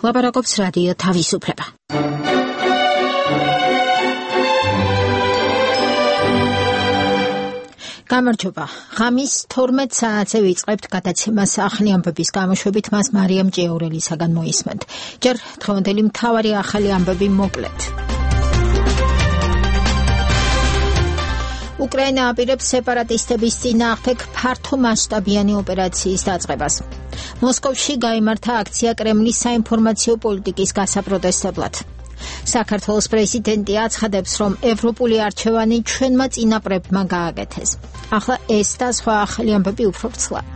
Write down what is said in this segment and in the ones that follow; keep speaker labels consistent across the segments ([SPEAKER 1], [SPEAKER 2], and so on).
[SPEAKER 1] ლაპარაკობს რადიო თავისუფლება. გამარჯობა. ღამის 12 საათზე ვიწყებთ გადაცემას ახალი ამბების გამოშვებით მას მარიამ ჭიაურელისაგან მოისმენთ. ჯერ დღევანდელი მთავარი ახალი ამბები მოკლედ. უკრაინა აპირებს სეპარატისტების წინააღმდეგ ფართო მასშტაბიანი ოპერაციის დაწყებას. მოსკოვში გაიმართა აქცია კრემლის საინფორმაციო პოლიტიკის გასაპროტესტებლად. საქართველოს პრეზიდენტი აცხადებს, რომ ევროპული არჩევანი ჩვენმა წინაპრებმა გააკეთეს. ახლა ეს და სხვა ახალი ამბები უფრო ვრცლად.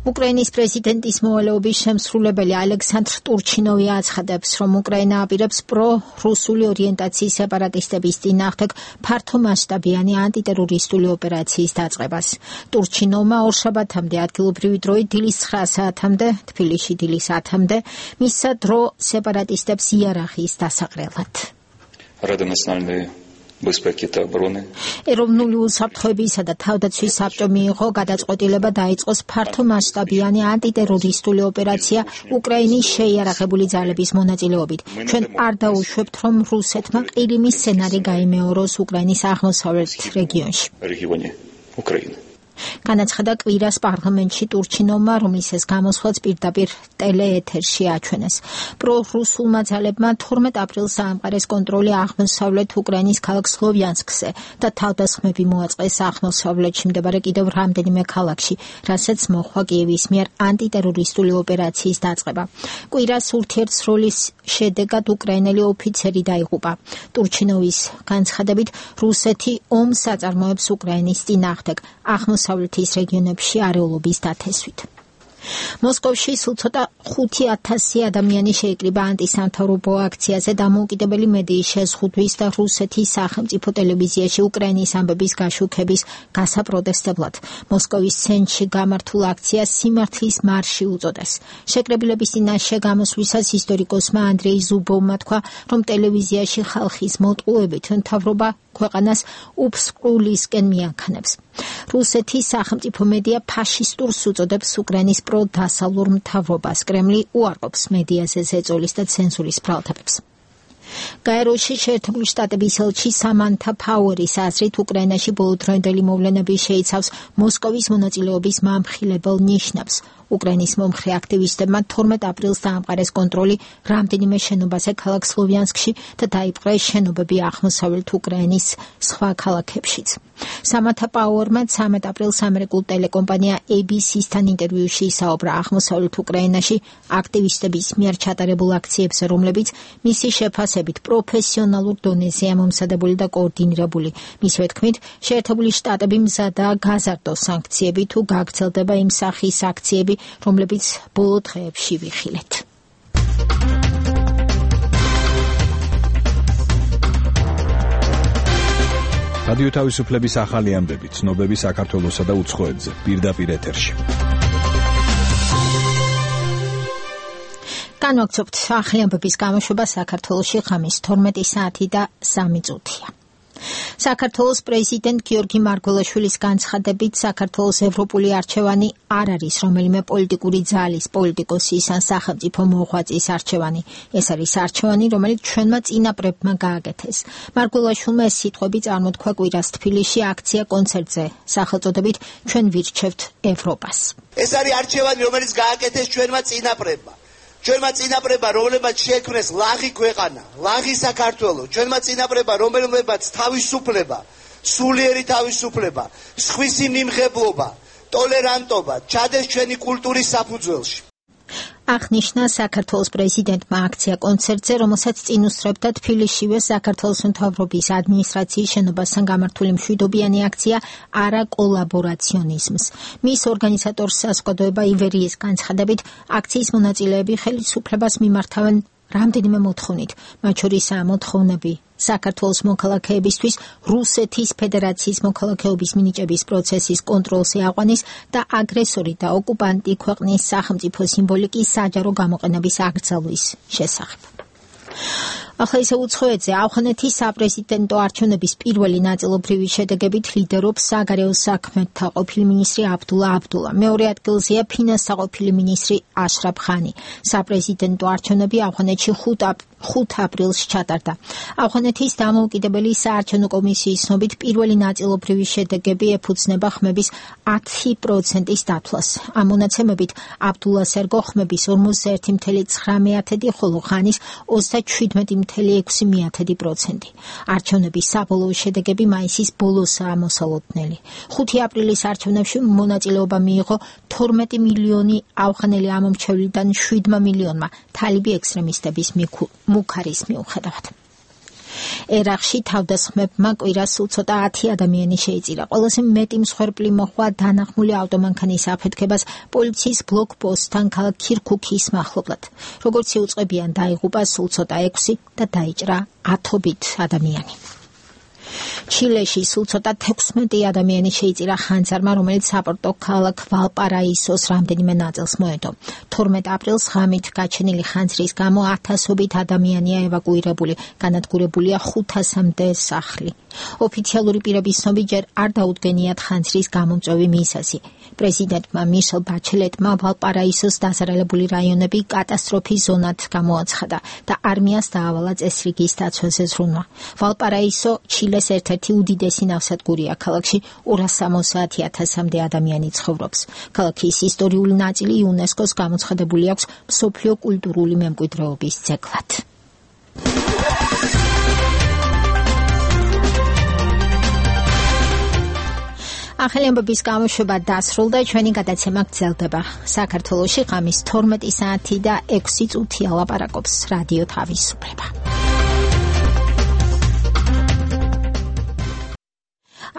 [SPEAKER 1] უკრაინის პრეზიდენტის მოვალეობის შემსრულებელი ალექსანდრ ტურჩინოვი აცხადებს, რომ უკრაინა აპირებს პრო-რუსული ორიენტაციის სეპარატისტების წინააღმდეგ ფართო მასშტაბიანი ანტიტერორისტული ოპერაციის დაწყებას. ტურჩინოვმა ორშაბათამდე ადგილობრივი დროით დილის 9 საათამდე, თბილისში დილის 10-მდე მისცა დრო სეპარატისტებს იარაღის დასაყრელად. ეროვნული უსაფრთხოებისა და თავდაცვის საბჭო მიიღო გადაწყვეტილება დაიწყოს ფართო მასშტაბიანი ანტიტერორისტული ოპერაცია უკრაინის შეიარაღებული ძალების მონაწილეობით. ჩვენ არ დაუშვებთ, რომ რუსეთმა ყირიმის სცენარი გაიმეოროს უკრაინის აღმოსავლეთ რეგიონში. განაცხადა კვირას პარლამენტში ტურჩინოვმა, რომლის ეს გამოსვლაც პირდაპირ ტელეეთერში აჩვენეს. პრო-რუსულმა ძალებმა 12 აპრილს დაამყარეს კონტროლი აღმოსავლეთ უკრაინის ქალაქ სლოვიანსკზე და თავდასხმები მოაწყეს აღმოსავლეთში მდებარე კიდევ რამდენიმე ქალაქში, რასაც მოჰყვა კიევის მიერ ანტიტერორისტული ოპერაციის დაწყება. კვირას ურთიერთსროლის შედეგად უკრაინელი ოფიცერი დაიღუპა. ტურჩინოვის განცხადებით, რუსეთი ომს აწარმოებს უკრაინის წინააღმდეგ აღმოსავლეთის რეგიონებში არეულობის დათესვით. მოსკოვში სულ ცოტა 5,000 ადამიანი შეიკრიბა ანტისამთავრობო აქციაზე დამოუკიდებელი მედიის შეზღუდვის და რუსეთის სახელმწიფო ტელევიზიაში უკრაინის ამბების გაშუქების გასაპროტესტებლად. მოსკოვის ცენტრში გამართულ აქციას სიმართლის მარში უწოდეს. შეკრებილების წინაშე გამოსვლისას ისტორიკოსმა ანდრეი ზუბოვმა თქვა, რომ ტელევიზიაში ხალხის მოტყუებით მთავრობა ქვეყანას უფსკრულისკენ მიანქანებს. რუსეთის სახელმწიფო მედია ფაშისტურს უწოდებს უკრაინის პროდასავლურ მთავრობას. კრემლი უარყოფს მედიაზე ზეწოლის და ცენზურის ბრალდებებს. გაეროში შეერთებული შტატების ელჩი სამანთა ფაუერის აზრით, უკრაინაში ბოლოდროინდელი მოვლენები შეიცავს მოსკოვის მონაწილეობის მამხილებელ ნიშნებს. უკრაინის მომხრე აქტივისტებმა 12 აპრილს დაამყარეს კონტროლი რამდენიმე შენობაზე ქალაქ სლოვიანსკში და დაიპყრეს შენობები აღმოსავლეთ უკრაინის სხვა ქალაქებშიც. სამანთა პაუერმა 13 აპრილს ამერიკულ ტელეკომპანია ABC-სთან ინტერვიუში ისაუბრა აღმოსავლეთ უკრაინაში აქტივისტების მიერ ჩატარებულ აქციებზე, რომლებიც მისი შეფასებით პროფესიონალურ დონეზეა მომზადებული და კოორდინირებული. მისივე თქმით, შეერთებული შტატები მზადაა გაზარდოს სანქციები თუ გაგრძელდება იმ სახის აქციები, რომლებიც ბოლო დღეებში ვიხილეთ.
[SPEAKER 2] რადიო თავისუფლების ახალი ამბები, ცნობები საქართველოსა და უცხოეთზე, პირდაპირ ეთერში.
[SPEAKER 1] განვაგრძობთ ახალი ამბების გამოშვება საქართველოში ღამის 12 საათი და 3 წუთია. საქართველოს პრეზიდენტ გიორგი მარგველაშვილის განცხადებით, საქართველოს ევროპული არჩევანი არ არის რომელიმე პოლიტიკური ძალის, პოლიტიკოსის ან სახელმწიფო მოღვაწის არჩევანი. ეს არის არჩევანი, რომელიც ჩვენმა წინაპრებმა გააკეთეს. მარგველაშვილმა ეს სიტყვები წარმოთქვა კვირას თბილისში აქცია კონცერტზე, სახელწოდებით ჩვენ ვირჩევთ ევროპას.
[SPEAKER 3] ეს არის არჩევანი, რომელიც გააკეთეს ჩვენმა წინაპრებმა. ჩვენმა წინაპრებმა, რომლებმაც შექმნეს ლაღი ქვეყანა, ლაღი საქართველო, ჩვენმა წინაპრებმა, რომლებმაც თავისუფლება, სულიერი თავისუფლება, სხვისი მიმღებლობა, ტოლერანტობა ჩადეს ჩვენი კულტურის საფუძველში.
[SPEAKER 1] აღნიშნა საქართველოს პრეზიდენტმა აქცია კონცერტზე, რომელსაც წინ უსწრებდა თბილისშივე საქართველოს მთავრობის ადმინისტრაციის შენობასთან გამართული მშვიდობიანი აქცია არა კოლაბორაციონიზმს. მის ორგანიზატორს საზოგადოება ივერიის განცხადებით, აქციის მონაწილეები ხელისუფლებას მიმართავენ რამდენიმე მოთხოვნით, მათ შორისაა მოთხოვნები საქართველოს მოქალაქეებისთვის რუსეთის ფედერაციის მოქალაქეობის მინიჭების პროცესის კონტროლზე აყვანის და აგრესორი და ოკუპანტი ქვეყნის სახელმწიფო სიმბოლიკის საჯარო გამოყენების აკრძალვის შესახებ. ახლა ისე უცხოეთზე ავღანეთის საპრეზიდენტო არჩევნების პირველი ნაწილობრივი შედეგებით ლიდერობს საგარეო საქმეთა ყოფილი მინისტრი აბდულა აბდულა. მეორე ადგილზეა ფინანსთა ყოფილი მინისტრი აშრაფ ხანი. საპრეზიდენტო არჩევნები ავღანეთში 5 აპრილს ჩატარდა. ავღანეთის დამოუკიდებელი საარჩევნო კომისიის ცნობით პირველი ნაწილობრივი შედეგები ეფუძნება ხმების 10%-ის დათვლას. ამ მონაცემებით აბდულას ერგო ხმების 41.9%, ხოლო ხანის 37.6%. არჩევნების საბოლოო შედეგები მაისის ბოლოსაა მოსალოდნელი. 5 აპრილის არჩევნებში მონაწილეობა მიიღო 12 მილიონი ავღანელი ამომრჩევლიდან 7 მილიონმა თალიბი ექსტრემისტების მუქარის მიუხედავად. ერაყში თავდასხმებმა კვირას სულ ცოტა 10 ადამიანი შეიწირა. ყველაზე მეტი მსხვერპლი მოჰყვა დანახმული ავტომანქანის აფეთქებას პოლიციის ბლოკპოსტთან ქალაქ ქირქუქის მახლობლად. როგორც იუწყებიან, დაიღუპა სულ ცოტა 6 და დაიჭრა ათობით ადამიანი. ჩილეში სულ ცოტა 16 ადამიანი შეიწირა ხანძარმა, რომელიც საპორტო ქალაქ ვალპარაისოს რამდენიმე ნაწილს მოედო. 12 აპრილს ღამით გაჩენილი ხანძრის გამო ათასობით ადამიანია ევაკუირებული, განადგურებულია 500-მდე სახლი. ოფიციალური პირების ცნობით ჯერ არ დაუდგენიათ ხანძრის გამომწვევი მიზეზი. პრეზიდენტმა მიშელ ბაჩელეტმა ვალპარაისოს დასარალებული რაიონები კატასტროფის ზონად გამოაცხადა და არმიას დაავალა წესრიგის დაცვაზე ზრუნვა. ვალპარაისო ჩილეს ერთ-ერთი უდიდესი ნავსადგურია. ქალაქში 260,000-მდე ადამიანი ცხოვრობს. ქალაქის ისტორიული ნაწილი იუნესკოს გამოცხადებული აქვს მსოფლიო კულტურული მემკვიდრეობის ძეგლად. ახალი ამბების გამოშვება დასრულდა, ჩვენი გადაცემა გრძელდება. საქართველოში ღამის 12 საათი და 6 წუთია ლაპარაკობს რადიო თავისუფლება.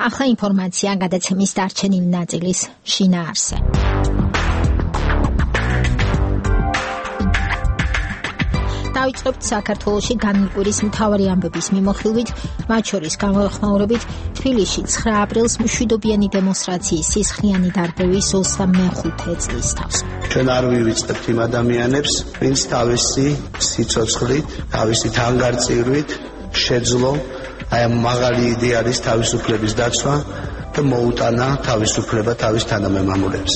[SPEAKER 1] ახლა ინფორმაცია გადაცემის დარჩენილი ნაწილის შინაარსზე. დავიწყებთ საქართველოში განმკვირის მთავარი ამბების მიმოხილვით, მათ შორის გამოეხმაურებით თბილისში 9 აპრილს მშვიდობიანი დემონსტრაციის სისხლიანი დარბევის 25 წლის თავს.
[SPEAKER 3] ჩვენ არ ვივიწყებთ იმ ადამიანებს, ვინც თავისი სიცოცხლით, თავისი თანგარწირვით შეძლო აი ამ მაღალი იდეალის თავისუფლების დაცვა და მოუტანა თავისუფლება თავის თანამემამულეებს.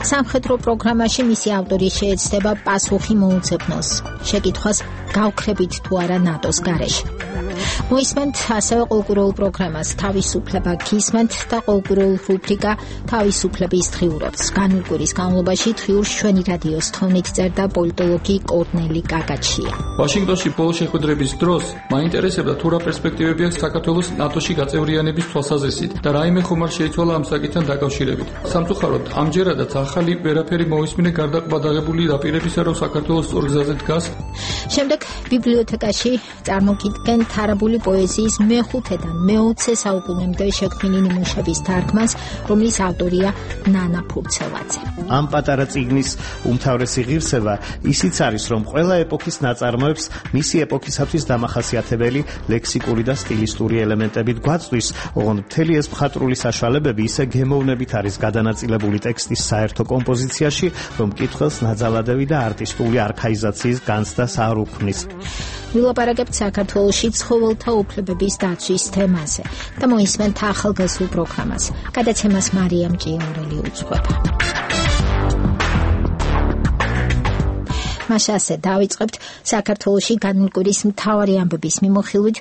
[SPEAKER 1] სამხედრო პროგრამაში მისი ავტორი შეეცდება პასუხი მოუძებნოს შეკითხვას გავქრებით თუ არა ნატოს გარეშე. მოისმენთ ასევე ყოველკვირეულ პროგრამას თავისუფლება გისმენთ და ყოველკვირეულ რუბრიკა თავისუფლების დღიურობს. განმკვირის განმავლობაში დღიურს ჩვენი რადიოს თოვნით წერდა პოლიტოლოგი კორნელი გაგაჩია.
[SPEAKER 4] ვაშინგტონში ბოლო შეხვედრების დროს მაინტერესებდა თუ რა პერსპექტივები აქვს საქართველოს ნატოში გაწევრიანების თვალსაზრისით და რაიმე ხომ არ შეიცვალა ამ საკითხთან დაკავშირებით. სამწუხაროდ ამჯერადაც ახალი ვერაფერი მოისმინე გარდა ყბადაღებული დაპირებისა, რომ საქართველოს სწორ გზაზე დგას.
[SPEAKER 1] შემდეგ ბიბლიოთეკაში წარმოგიდგენთ არაბული პოეზიის მე-5-დან მე-20 საუკუნემდე შექმნილი ნიმუშების თარგმანს, რომლის ავტორია ნანა ფურცელაძე.
[SPEAKER 5] ამ პატარა წიგნის უმთავრესი ღირსება ისიც არის, რომ ყველა ეპოქის ნაწარმოებს მისი ეპოქისათვის დამახასიათებელი ლექსიკური და სტილისტური ელემენტებით გვაწვდის, ოღონდ მთელი ეს მხატვრული საშუალებები ისე გემოვნებით არის გადანაწილებული ტექსტის საერთო კომპოზიციაში, რომ მკითხველს ნაძალადევი და არტისტული არქაიზაციის განცდას არ უქმნის.
[SPEAKER 1] ვილაპარაკებთ საქართველოში ცხოველთა უფლებების დაცვის თემაზე და მოისმენთ ახალგაზრდულ პროგრამას. გადაცემას მარიამ ჭიაურელი უძღვება. მასაზე დავიწყებთ საქართველოში განმკვირის მთავარი ამბების მიმოხილვით,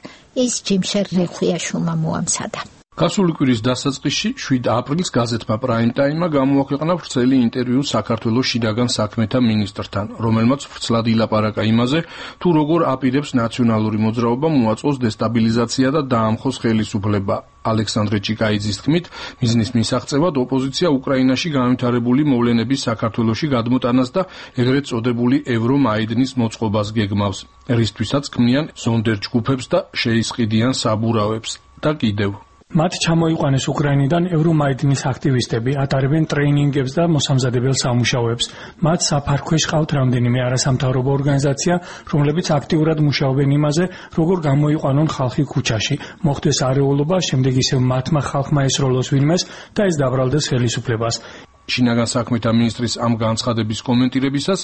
[SPEAKER 1] ის ჯიმშერ რეხვიაშვილმა მოამზადა.
[SPEAKER 4] გასული კვირის დასაწყისში 7 აპრილს გაზეთმა პრაიმ ტაიმმა გამოაქვეყნა ვრცელი ინტერვიუ საქართველოს შინაგან საქმეთა მინისტრთან, რომელმაც ვრცლად ილაპარაკა იმაზე, თუ როგორ აპირებს ნაციონალური მოძრაობა მოაწყოს დესტაბილიზაცია და დაამხოს ხელისუფლება. ალექსანდრე ჭიკაიძის თქმით, მიზნის მისაღწევად ოპოზიცია უკრაინაში განვითარებული მოვლენების საქართველოში გადმოტანას და ეგრეთ წოდებული ევრომაიდნის მოწყობას გეგმავს. რისთვისაც ქმნიან ზონდერ ჯგუფებს და შეისყიდიან საბურავებს და კიდევ
[SPEAKER 6] მათ ჩამოიყვანეს უკრაინიდან ევრომაიდნის აქტივისტები, ატარებენ ტრეინინგებს და მოსამზადებელ სამუშაოებს. მათ საფარქვეშ ყავთ რამდენიმე არასამთავრობო ორგანიზაცია, რომლებიც აქტიურად მუშაობენ იმაზე, როგორ გამოიყვანონ ხალხი ქუჩაში, მოხდეს არეულობა, შემდეგ ისევ მათმა ხალხმა ესროლოს ვინმეს და ეს დაბრალდეს ხელისუფლებას.
[SPEAKER 4] შინაგან საქმეთა მინისტრის ამ განცხადების კომენტირებისას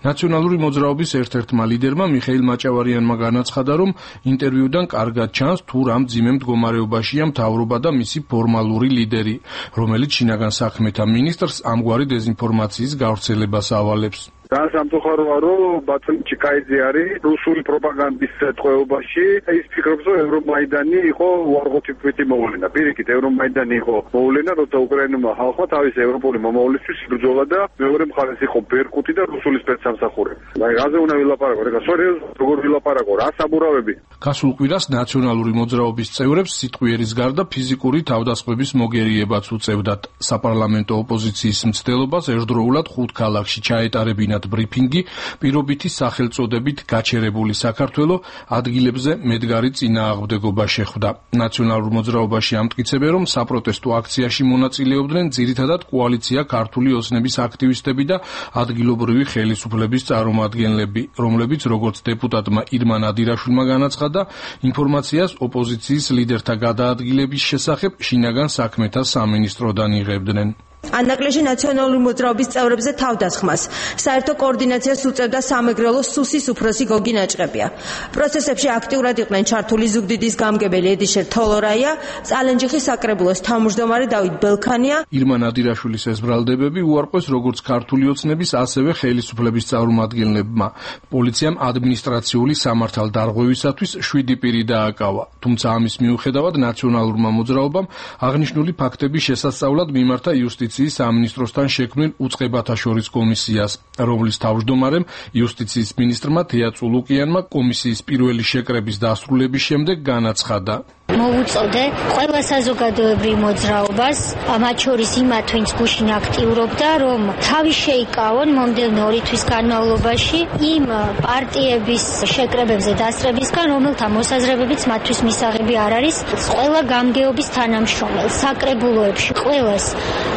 [SPEAKER 4] ნაციონალური მოძრაობის ერთ-ერთმა ლიდერმა მიხეილ მაჭავარიანმა განაცხადა, რომ ინტერვიუდან კარგად ჩანს, თუ რა მძიმე მდგომარეობაშია მთავრობა და მისი ფორმალური ლიდერი, რომელიც შინაგან საქმეთა მინისტრს ამგვარი დეზინფორმაციის გავრცელებას ავალებს.
[SPEAKER 7] და სამწუხაროა, რომ ბატონ ჩიკაიძე არის რუსული პროპაგანდის ტყვეობაში. ის ფიქრობს, რომ ევრომაიდანი იყო უარყოფითი მოვლენა. პირიქით, ევრომაიდანი იყო მოვლენა, როცა უკრაინულმა ხალხმა თავის ევროპული მომავლისთვის იბრძოლა და მეორე მხარეს იყო ბერკუტი და რუსული სპეცსამსახურები. აი, რაზე უნდა ვილაპარაკოთ? ეხლა სერიოზულად როგორ ვილაპარაკოთ? რა საბურავები?
[SPEAKER 4] გასულ კვირას ნაციონალური მოძრაობის წევრებს სიტყვიერის გარდა ფიზიკური თავდასხმების მოგერიებაც უწევდათ. საპარლამენტო ოპოზიციის მცდელობას ერთდროულად 5 ქალაქში ჩაეტარებინათ ბრიფინგი, პირობითი სახელწოდებით გაჩერებული საქართველო ადგილებზე მედგარი წინააღმდეგობა შეხვდა. ნაციონალურ მოძრაობაში ამტკიცებენ, რომ საპროტესტო აქციაში მონაწილეობდნენ ძირითადად კოალიცია ქართული ოცნების აქტივისტები და ადგილობრივი ხელისუფლების წარმომადგენლები, რომლებიც როგორც დეპუტატმა ირმა ნადირაშვილმა განაცხადა, ინფორმაციას ოპოზიციის ლიდერთა გადაადგილების შესახებ შინაგან საქმეთა სამინისტროდან იღებდნენ.
[SPEAKER 8] ანაკლეში ნაციონალური მოძრაობის წევრებზე თავდასხმას საერთო კოორდინაციას უწევდა სამეგრელო სუსის უფროსი გოგი ნაჭყებია. პროცესებში აქტიურად იყვნენ ჩართული ზუგდიდის გამგებელი ედიშერ თოლორაია, წალენჯიხის საკრებულოს თავმჯდომარე დავით ბელქანია.
[SPEAKER 4] ირმა ნადირაშვილის ეს ბრალდებები უარყვეს როგორც ქართული ოცნების, ასევე ხელისუფლების წარმომადგენლებმა. პოლიციამ ადმინისტრაციული სამართალდარღვევისათვის 7 პირი დააკავა. თუმცა ამის მიუხედავად ნაციონალურმა მოძრაობამ აღნიშნული ფაქტების შესასწავლად მიმართა იუსტიციის სამინისტროსთან შექმნილ უწყებათა შორის კომისიას, რომლის თავმჯდომარემ იუსტიციის მინისტრმა თეა წულუკიანმა კომისიის პირველი შეკრების დასრულების შემდეგ განაცხადა.
[SPEAKER 9] მოვუწოდე ყველა საზოგადოებრივ მოძრაობას, მათ შორის იმათ, ვინც გუშინ აქტიურობდა, რომ თავი შეიკავონ მომდევნო 2 თვის განმავლობაში იმ პარტიების შეკრებებზე დასწრებისგან, რომელთა მოსაზრებებიც მათთვის მისაღები არ არის, ყველა გამგეობის თანამშრომელს, საკრებულოებში ყველას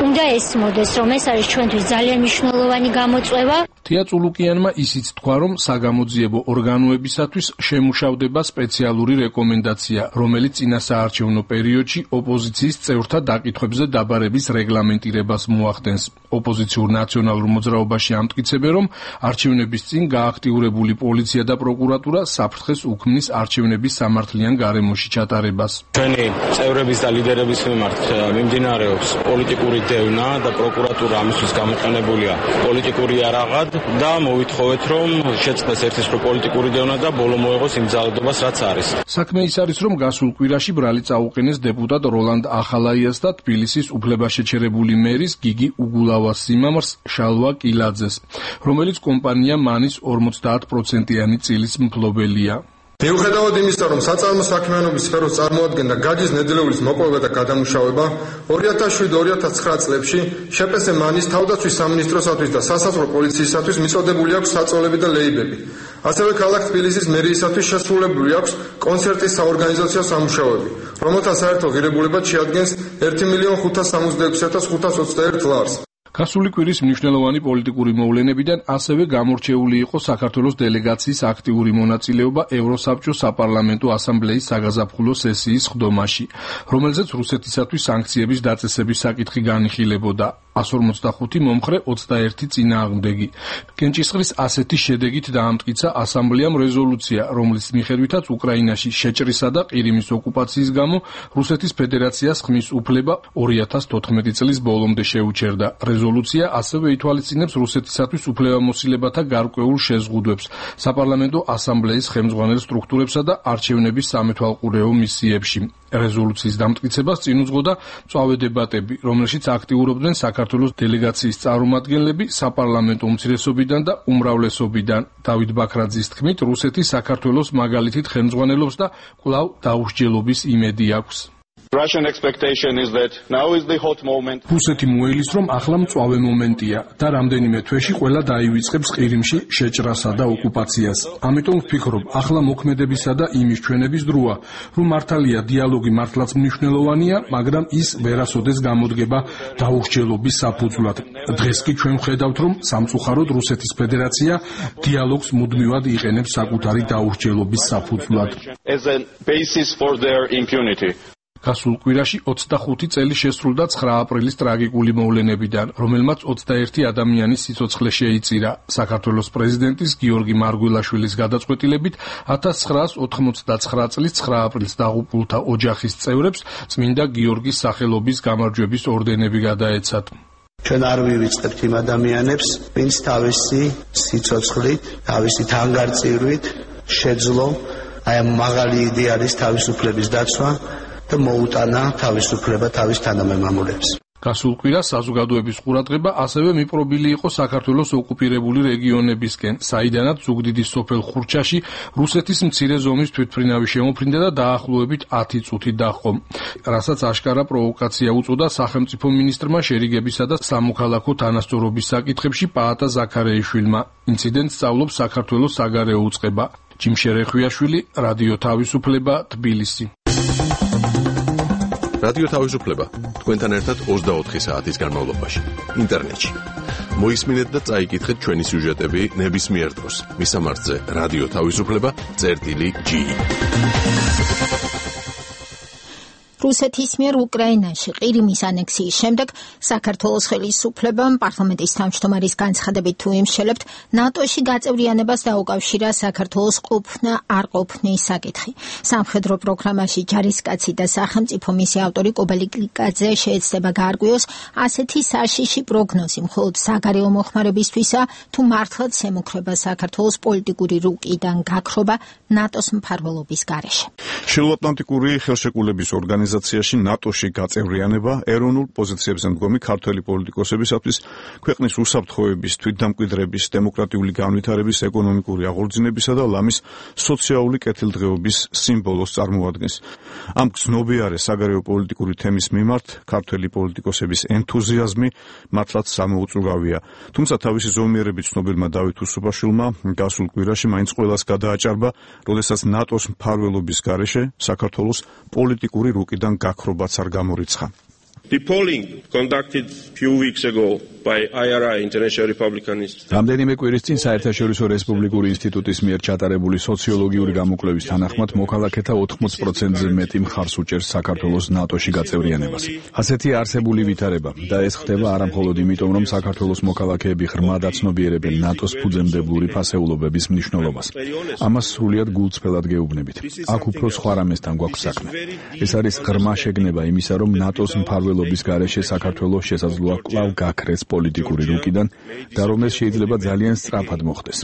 [SPEAKER 9] უნდა ესმოდეს, რომ ეს არის ჩვენთვის ძალიან მნიშვნელოვანი გამოწვევა.
[SPEAKER 4] თეა წულუკიანმა ისიც თქვა, რომ საგამოძიებო ორგანოებისათვის შემუშავდება სპეციალური რეკომენდაცია, რომელიც წინასაარჩევნო პერიოდში ოპოზიციის წევრთა დაკითხვებზე დაბარების რეგლამენტირებას მოახდენს. ოპოზიციურ ნაციონალურ მოძრაობაში ამტკიცებენ, რომ არჩევნების წინ გააქტიურებული პოლიცია და პროკურატურა საფრთხეს უქმნის არჩევნების სამართლიან გარემოში ჩატარებას.
[SPEAKER 10] ჩვენი წევრების და ლიდერების მიმართ მიმდინარეობს პოლიტიკური დევნა და პროკურატურა ამისთვის გამოყენებულია პოლიტიკური იარაღად და მოვითხოვეთ, რომ შეწყდეს ერთის პოლიტიკური დევნა და ბოლო მოეღოს იმ ძალადობას, რაც არის.
[SPEAKER 4] საქმე ის არის, რომ გასულ კვირაში ბრალი წაუყენეს დეპუტატ როლანდ ახალაიას და თბილისის უფლებაშეჩერებული მერის გიგი უგულავას სიმამრს შალვა კილაძეს, რომელიც კომპანია მანის 50%-იანი წილის მფლობელია.
[SPEAKER 11] მიუხედავად იმისა, რომ საწარმო საქმიანობის სფეროს წარმოადგენდა გაჯის ნედლეულის მოპოვება და გადამუშავება, 2007-2009 წლებში შპს მანის თავდაცვის სამინისტროსათვის და სასაზღვრო პოლიციისათვის მიწოდებული აქვს საწოლები და ლეიბები. ასევე ქალაქ თბილისის მერიისათვის შესრულებული აქვს კონცერტის საორგანიზაციო სამუშაოები, რომელთა საერთო ღირებულება შეადგენს 1,566,521 ლარს.
[SPEAKER 4] გასული კვირის მნიშვნელოვანი პოლიტიკური მოვლენებიდან ასევე გამორჩეული იყო საქართველოს დელეგაციის აქტიური მონაწილეობა ევროსაბჭოს საპარლამენტო ასამბლეის საგაზაფხულო სესიის ხდომაში, რომელზეც რუსეთისათვის სანქციების დაწესების საკითხი განიხილებოდა. 145 მომხრე 21 წინააღმდეგი. კენჭისყრის ასეთი შედეგით დაამტკიცა ასამბლეამ რეზოლუცია, რომლის მიხედვითაც უკრაინაში შეჭრისა და ყირიმის ოკუპაციის გამო რუსეთის ფედერაციას ხმის უფლება 2014 წლის ბოლომდე შეუჩერდა. რეზოლუცია ასევე ითვალისწინებს რუსეთისათვის უფლებამოსილებათა გარკვეულ შეზღუდვებს საპარლამენტო ასამბლეის ხელმძღვანელ სტრუქტურებსა და არჩევნების სამეთვალყურეო მისიებში. რეზოლუციის დამტკიცებას წინ უძღოდა მწვავე დებატები, რომელშიც აქტიურობდნენ საქართველოს დელეგაციის წარმომადგენლები საპარლამენტო უმცირესობიდან და უმრავლესობიდან. დავით ბაქრაძის თქმით, რუსეთი საქართველოს მაგალითით ხელმძღვანელობს და კვლავ დაუსჯელობის იმედი აქვს. რუსეთი მოელის, რომ ახლა მწვავე მომენტია და რამდენიმე თვეში ყველა დაივიწყებს ყირიმში შეჭრასა და ოკუპაციას. ამიტომ ვფიქრობ, ახლა მოქმედებისა და იმის ჩვენების დროა, რომ მართალია დიალოგი მართლაც მნიშვნელოვანია, მაგრამ ის ვერასოდეს გამოდგება დაუსჯელობის საფუძვლად. დღეს კი ჩვენ ვხედავთ, რომ სამწუხაროდ რუსეთის ფედერაცია დიალოგს მუდმივად იყენებს საკუთარი დაუსჯელობის საფუძვლად. გასულ კვირაში 25 წელი შესრულდა 9 აპრილის ტრაგიკული მოვლენებიდან, რომელმაც 21 ადამიანის სიცოცხლე შეიწირა. საქართველოს პრეზიდენტის გიორგი მარგველაშვილის გადაწყვეტილებით 1989 წლის 9 აპრილს დაღუპულთა ოჯახის წევრებს წმინდა გიორგის სახელობის გამარჯვების ორდენები გადაეცათ.
[SPEAKER 12] ჩვენ არ ვივიწყებთ იმ ადამიანებს, ვინც თავისი სიცოცხლით, თავისი თანგარწირვით შეძლო აი ამ მაღალი იდეალის თავისუფლების დაცვა და მოუტანა თავისუფლება თავის თანამემამულებს.
[SPEAKER 4] გასულ კვირას საზოგადოების ყურადღება ასევე მიპყრობილი იყო საქართველოს ოკუპირებული რეგიონებისკენ, საიდანაც ზუგდიდის სოფელ ხურჩაში რუსეთის მცირე ზომის თვითმფრინავი შემოფრინდა და დაახლოებით 10 წუთი დაჰყო, რასაც აშკარა პროვოკაცია უწოდა სახელმწიფო მინისტრმა შერიგებისა და სამოქალაქო თანასწორობის საკითხებში პაატა ზაქარეიშვილმა. ინციდენტს სწავლობს საქართველოს საგარეო უწყება. ჯიმშერეხვიაშვილი, რადიო თავისუფლება, თბილისი.
[SPEAKER 13] რადიო თავისუფლება თქვენთან ერთად 24 საათის განმავლობაში ინტერნეტში. მოისმინეთ და წაიკითხეთ ჩვენი სიუჟეტები ნებისმიერ დროს. მისამართზე რადიო თავისუფლება.gi.
[SPEAKER 1] რუსეთის მიერ უკრაინაში ყირიმის ანექსიის შემდეგ საქართველოს ხელისუფლებამ პარლამენტის თავმჯდომარის განცხადებით თუ იმშელებთ ნატოში გაწევრიანებას დაუკავშირა საქართველოს ყოფნა არ ყოფნის საკითხი. სამხედრო პროგრამაში ჯარისკაცი და სახელმწიფო მისი ავტორი კობელი კლიკაძე შეეცდება გაარკვიოს ასეთი საშიში პროგნოზი მხოლოდ საგარეო მოხმარებისთვისა თუ მართლაც ემუქრება საქართველოს პოლიტიკური რუკიდან გაქრობა ნატოს მფარველობის გარეშე.
[SPEAKER 2] შეუატლანტიკური ხელშეკრულების ორგანიზაციაში ნატოში გაწევრიანება ეროვნულ პოზიციებზე მდგომი ქართველი პოლიტიკოსებისათვის ქვეყნის უსაფრთხოების, თვითდამკვიდრების, დემოკრატიული განვითარების, ეკონომიკური აღორძინებისა და ლამის სოციალური კეთილდღეობის სიმბოლოს წარმოადგენს. ამ გრძნობიარე საგარეო პოლიტიკური თემის მიმართ ქართველი პოლიტიკოსების ენთუზიაზმი მართლაც სამოუწურავია. თუმცა თავისი ზომიერებით ცნობილმა დავით უსუბაშვილმა გასულ კვირაში მაინც ყველას გადააჭარბა, როდესაც ნატოს მფარველობის გარეშე საქართველოს პოლიტიკური რუკიდან გაქრობაც არ გამორიცხა.
[SPEAKER 14] The polling conducted few weeks ago by IRI International Republican Institute.
[SPEAKER 2] რამდენიმე კვირის წინ საერთაშორისო რესპუბლიკური ინსტიტუტის მიერ ჩატარებული სოციოლოგიური გამოკვლევის თანახმად მოქალაქეთა 80%-ზე მეტი მხარს უჭერს საქართველოს ნატოში გაწევრიანებას. ასეთი არსებული ვითარება და ეს ხდება არა მხოლოდ იმიტომ, რომ საქართველოს მოქალაქეები ღრმად აცნობიერებენ ნატოს ფუძემდებლური ფასეულობების მნიშვნელობას. ამას სრულიად გულწრფელად გეუბნებით. აქ უფრო სხვა რამესთან გვაქვს საქმე. ეს არის ღრმა შეგნება იმისა, რომ ნატოს მფარველობის გარეშე საქართველოს შესაძლოა კვლავ გაქრეს პოლიტიკური რუკიდან და რომ ეს შეიძლება ძალიან სწრაფად მოხდეს.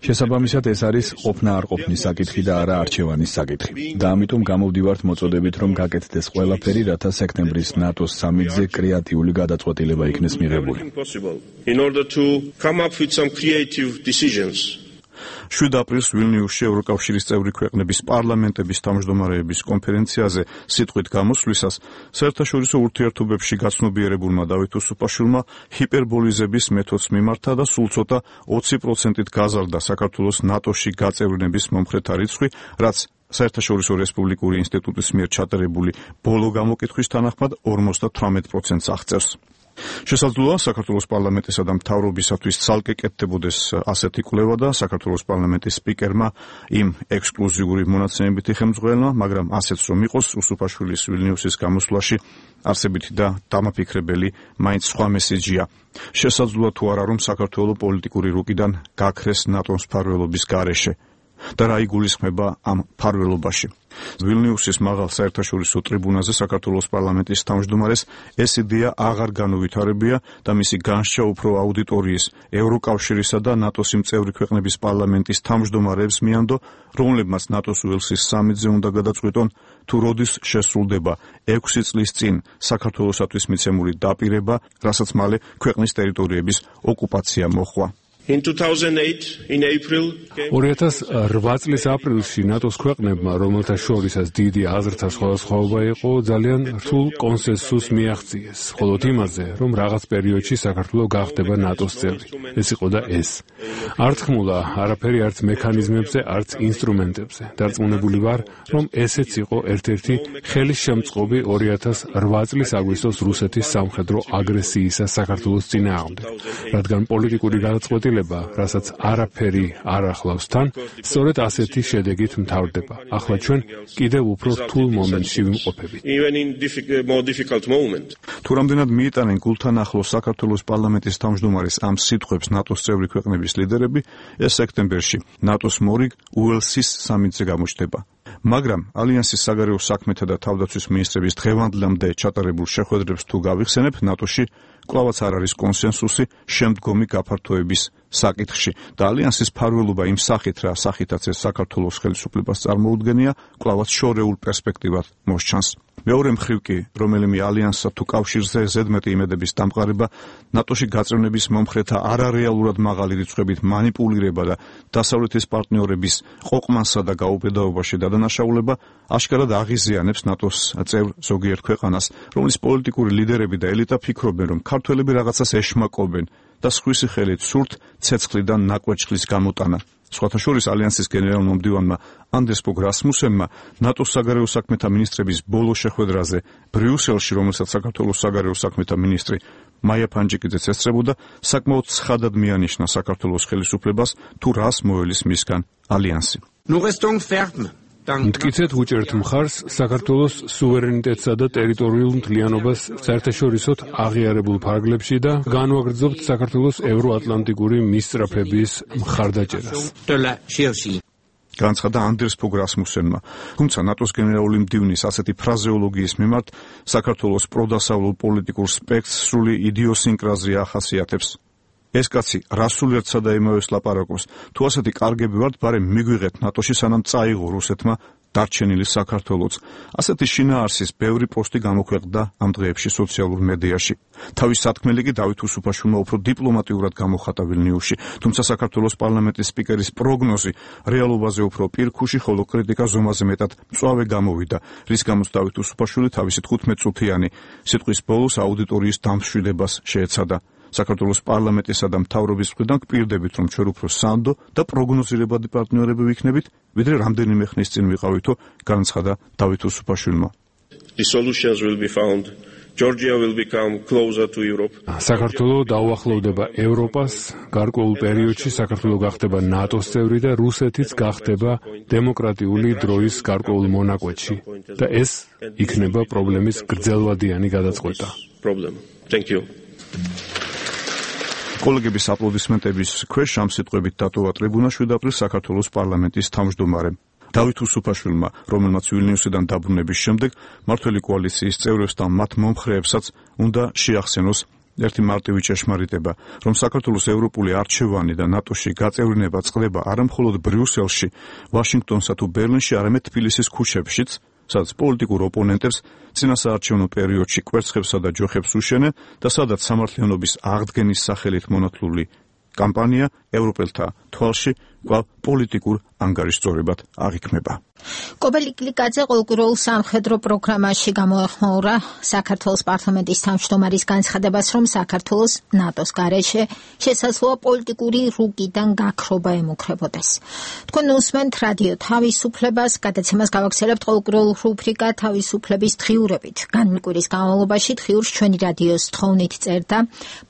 [SPEAKER 2] შესაბამისად ეს არის ყოფნა არ ყოფნის საკითხი და არა არჩევანის საკითხი. და ამიტომ გამოვდივართ მოწოდებით, რომ გაკეთდეს ყველაფერი, რათა სექტემბრის ნატოს სამიტზე კრეატიული გადაწყვეტილება იქნეს მიღებული.
[SPEAKER 14] In order to come up with some creative decisions.
[SPEAKER 2] 7 აპრილს ვილნიუსში ევროკავშირის წევრი ქვეყნების პარლამენტების თავმჯდომარეების კონფერენციაზე სიტყვით გამოსვლისას საერთაშორისო ურთიერთობებში გაცნობიერებულმა დავით უსუბაშვილმა ჰიპერბოლიზების მეთოდს მიმართა და სულ ცოტა 20%-ით გაზარდა საქართველოს ნატოში გაწევრიანების მომხრეთა რიცხვი, რაც საერთაშორისო რესპუბლიკური ინსტიტუტის მიერ ჩატარებული ბოლო გამოკითხვის თანახმად 58%-ს აღწევს. შესაძლოა საქართველოს პარლამენტისა და მთავრობისათვის ცალკე კეთდებოდეს ასეთი კვლევა და საქართველოს პარლამენტის სპიკერმა იმ ექსკლუზიური მონაცემებითი ხელმძღვანელმა, მაგრამ ასეც რომ იყოს, უსუბაშვილის ვილნიუსის გამოსვლაში არსებითი და დამაფიქრებელი მაინც სხვა მესიჯია. შესაძლოა თუ არა, რომ საქართველოს პოლიტიკური რუკიდან გაქრეს ნატოს მფარველობის გარეშე. და რა იგულისხმება ამ მფარველობაში. ვილნიუსის მაღალ საერთაშორისო ტრიბუნაზე საქართველოს პარლამენტის თავმჯდომარეს ეს იდეა აღარ განუვითარებია და მისი განსჯა უფრო აუდიტორიის, ევროკავშირისა და ნატოს წევრი ქვეყნების პარლამენტის თავმჯდომარეებს მიანდო, რომლებმაც ნატოს უელსის სამიტზე უნდა გადაწყვიტონ, თუ როდის შესრულდება 6 წლის წინ საქართველოსათვის მიცემული დაპირება, რასაც მალე ქვეყნის ტერიტორიების ოკუპაცია მოჰყვა.
[SPEAKER 14] In 2008, in April,
[SPEAKER 15] 2008 წლის აპრილში ნატოს ქვეყნებმა, რომელთა შორისაც დიდი აზრთა სხვადასხვაობა იყო, ძალიან რთულ კონსენსუსს მიაღწიეს, მხოლოდ იმაზე, რომ რაღაც პერიოდში საქართველო გახდება ნატოს წევრი. ეს იყო და ეს. არ თქმულა არაფერი არც მექანიზმებზე, არც ინსტრუმენტებზე. დარწმუნებული ვარ, რომ ესეც იყო ერთ-ერთი ხელისშემწყობი 2008 წლის აგვისტოს რუსეთის სამხედრო აგრესიისა საქართველოს წინააღმდეგ, რადგან პოლიტიკური გადაწყვეტილება ცვლილება, რასაც არაფერი არ ახლავს თან, სწორედ ასეთი შედეგით მთავრდება. ახლა ჩვენ კიდევ უფრო რთულ მომენტში ვიმყოფებით.
[SPEAKER 2] თუ რამდენად მიიტანენ გულთან ახლოს საქართველოს პარლამენტის თავმჯდომარის ამ სიტყვებს ნატოს წევრი ქვეყნების ლიდერები, ეს სექტემბერში ნატოს მორიგ უელსის სამიტზე გამოჩნდება. მაგრამ ალიანსის საგარეო საქმეთა და თავდაცვის მინისტრების დღევანდლამდე ჩატარებულ შეხვედრებს თუ გავიხსენებ, ნატოში კვლავაც არ არის კონსენსუსი შემდგომი გაფართოების საკითხში და ალიანსის ფარველობა იმ სახით, რა სახითაც ეს საქართველოს ხელისუფლებას წარმოუდგენია, კვლავაც შორეულ პერსპექტივად მოსჩანს. მეორე მხრივ კი, რომელიმე ალიანსსა თუ კავშირზე ზედმეტი იმედების დამყარება, ნატოში გაწევნების მომხრეთა არარეალურად მაღალი რიცხვებით მანიპულირება და დასავლეთის პარტნიორების ყოყმანსა და გაუბედაობაში დადანაშაულება აშკარად აღიზიანებს ნატოს წევრ ზოგიერთ ქვეყანას, რომლის პოლიტიკური ლიდერები და ელიტა ფიქრობენ, რომ ქართველები რაღაცას ეშმაკობენ და სხვისი ხელით სურთ ცეცხლიდან ნაკვეთშლის გამოტანა. სხვათა შორის ალიანსის გენერალურმა მდივანმა ანდრეს ფოგ რასმუსენმა ნატოს საგარეო საქმეთა მინისტრების ბოლო შეხვედრაზე ბრიუსელში, რომელსაც საქართველოს საგარეო საქმეთა მინისტრი მაია ფანჯიკიძეც ესწრებოდა, საკმაოდ ცხადად მიანიშნა საქართველოს ხელისუფლებას თუ რას მოელის მისგან ალიანსი.
[SPEAKER 15] მტკიცედ უჭერთ მხარს საქართველოს სუვერენიტეტსა და ტერიტორიულ მთლიანობას საერთაშორისოდ აღიარებულ ფარგლებში და განვაგრძობთ საქართველოს ევროატლანტიკური მისწრაფების მხარდაჭერას.
[SPEAKER 2] განცხადა ანდრეს ფოგ რასმუსენმა. თუმცა ნატოს გენერალური მდივნის ასეთი ფრაზეოლოგიის მიმართ საქართველოს პროდასავლურ პოლიტიკურ სპექტრს სრული იდიოსინკრაზია ახასიათებს. ეს კაცი რასულერთსა და იმავეს ლაპარაკობს. თუ ასეთი კარგები ვართ, ბარემ მიგვიღეთ ნატოში, სანამ წაიღო რუსეთმა დარჩენილი საქართველოც. ასეთი შინაარსის ბევრი პოსტი გამოქვეყნდა ამ დღეებში სოციალურ მედიაში. თავის სათქმელი კი დავით უსუფაშვილმა უფრო დიპლომატიურად გამოხატა ვილნიუსში, თუმცა საქართველოს პარლამენტის სპიკერის პროგნოზი რეალობაზე უფრო პირქუში, ხოლო კრიტიკა ზომაზე მეტად მწვავე გამოვიდა, რის გამოც დავით უსუფაშვილი თავისი 15 წუთიანი სიტყვის ბოლოს აუდიტორიის დამშვიდებას შეეცადა. საქართველოს პარლამენტისა და მთავრობის მხრიდან გპირდებით, რომ ჩვენ უფრო სანდო და პროგნოზირებადი პარტნიორები ვიქნებით, ვიდრე რამდენიმე ხნის წინ ვიყავითო, განცხადა დავით უსუფაშვილმა.
[SPEAKER 14] The solutions will be found. Georgia will become closer to Europe.
[SPEAKER 15] საქართველო დაუახლოვდება ევროპას, გარკვეულ პერიოდში საქართველო გახდება ნატოს წევრი და რუსეთიც გახდება დემოკრატიული დროის გარკვეულ მონაკვეთში და ეს იქნება პრობლემის გრძელვადიანი გადაწყვეტა.
[SPEAKER 14] Thank you.
[SPEAKER 2] კოლეგების აპლოდისმენტების ქვეშ ამ სიტყვებით დატოვა ტრიბუნაში უდაბრის საქართველოს პარლამენტის თავმჯდომარემ. დავით უსუფაშვილმა, რომელმაც ვილნიუსიდან დაბრუნების შემდეგ მმართველი კოალიციის წევრებს და მათ მომხრეებსაც უნდა შეახსენოს ერთი მარტივი ჭეშმარიტება, რომ საქართველოს ევროპული არჩევანი და ნატოში გაწევriნება წყდება არა მხოლოდ ბრიუსელში, ვაშინგტონსა თუ ბერლინში, არამედ თბილისის ქუჩებშიც, სადაც პოლიტიკურ ოპონენტებს წინასაარჩევნო პერიოდში კვერცხებსა და ჯოხებს უშენენ და სადაც სამართლიანობის აღდგენის სახელით მონათლული კამპანია ევროპელთა თვალში კვლავ პოლიტიკურ ანგარიშწორებად აღიქმება.
[SPEAKER 1] კობელი კლიკაძე ყოველკვირეულ სამხედრო პროგრამაში გამოეხმაურა საქართველოს პარლამენტის თავმჯდომარის განცხადებას, რომ საქართველოს ნატოს გარეშე შესაძლოა პოლიტიკური რუკიდან გაქრობა ემუქრებოდეს. თქვენ უსმენთ რადიო თავისუფლებას, გადაცემას გავაგრძელებთ ყოველკვირეულ რუბრიკა თავისუფლების დღიურებით. განმკვირის განმავლობაში დღიურს ჩვენი რადიოს თხოვნით წერდა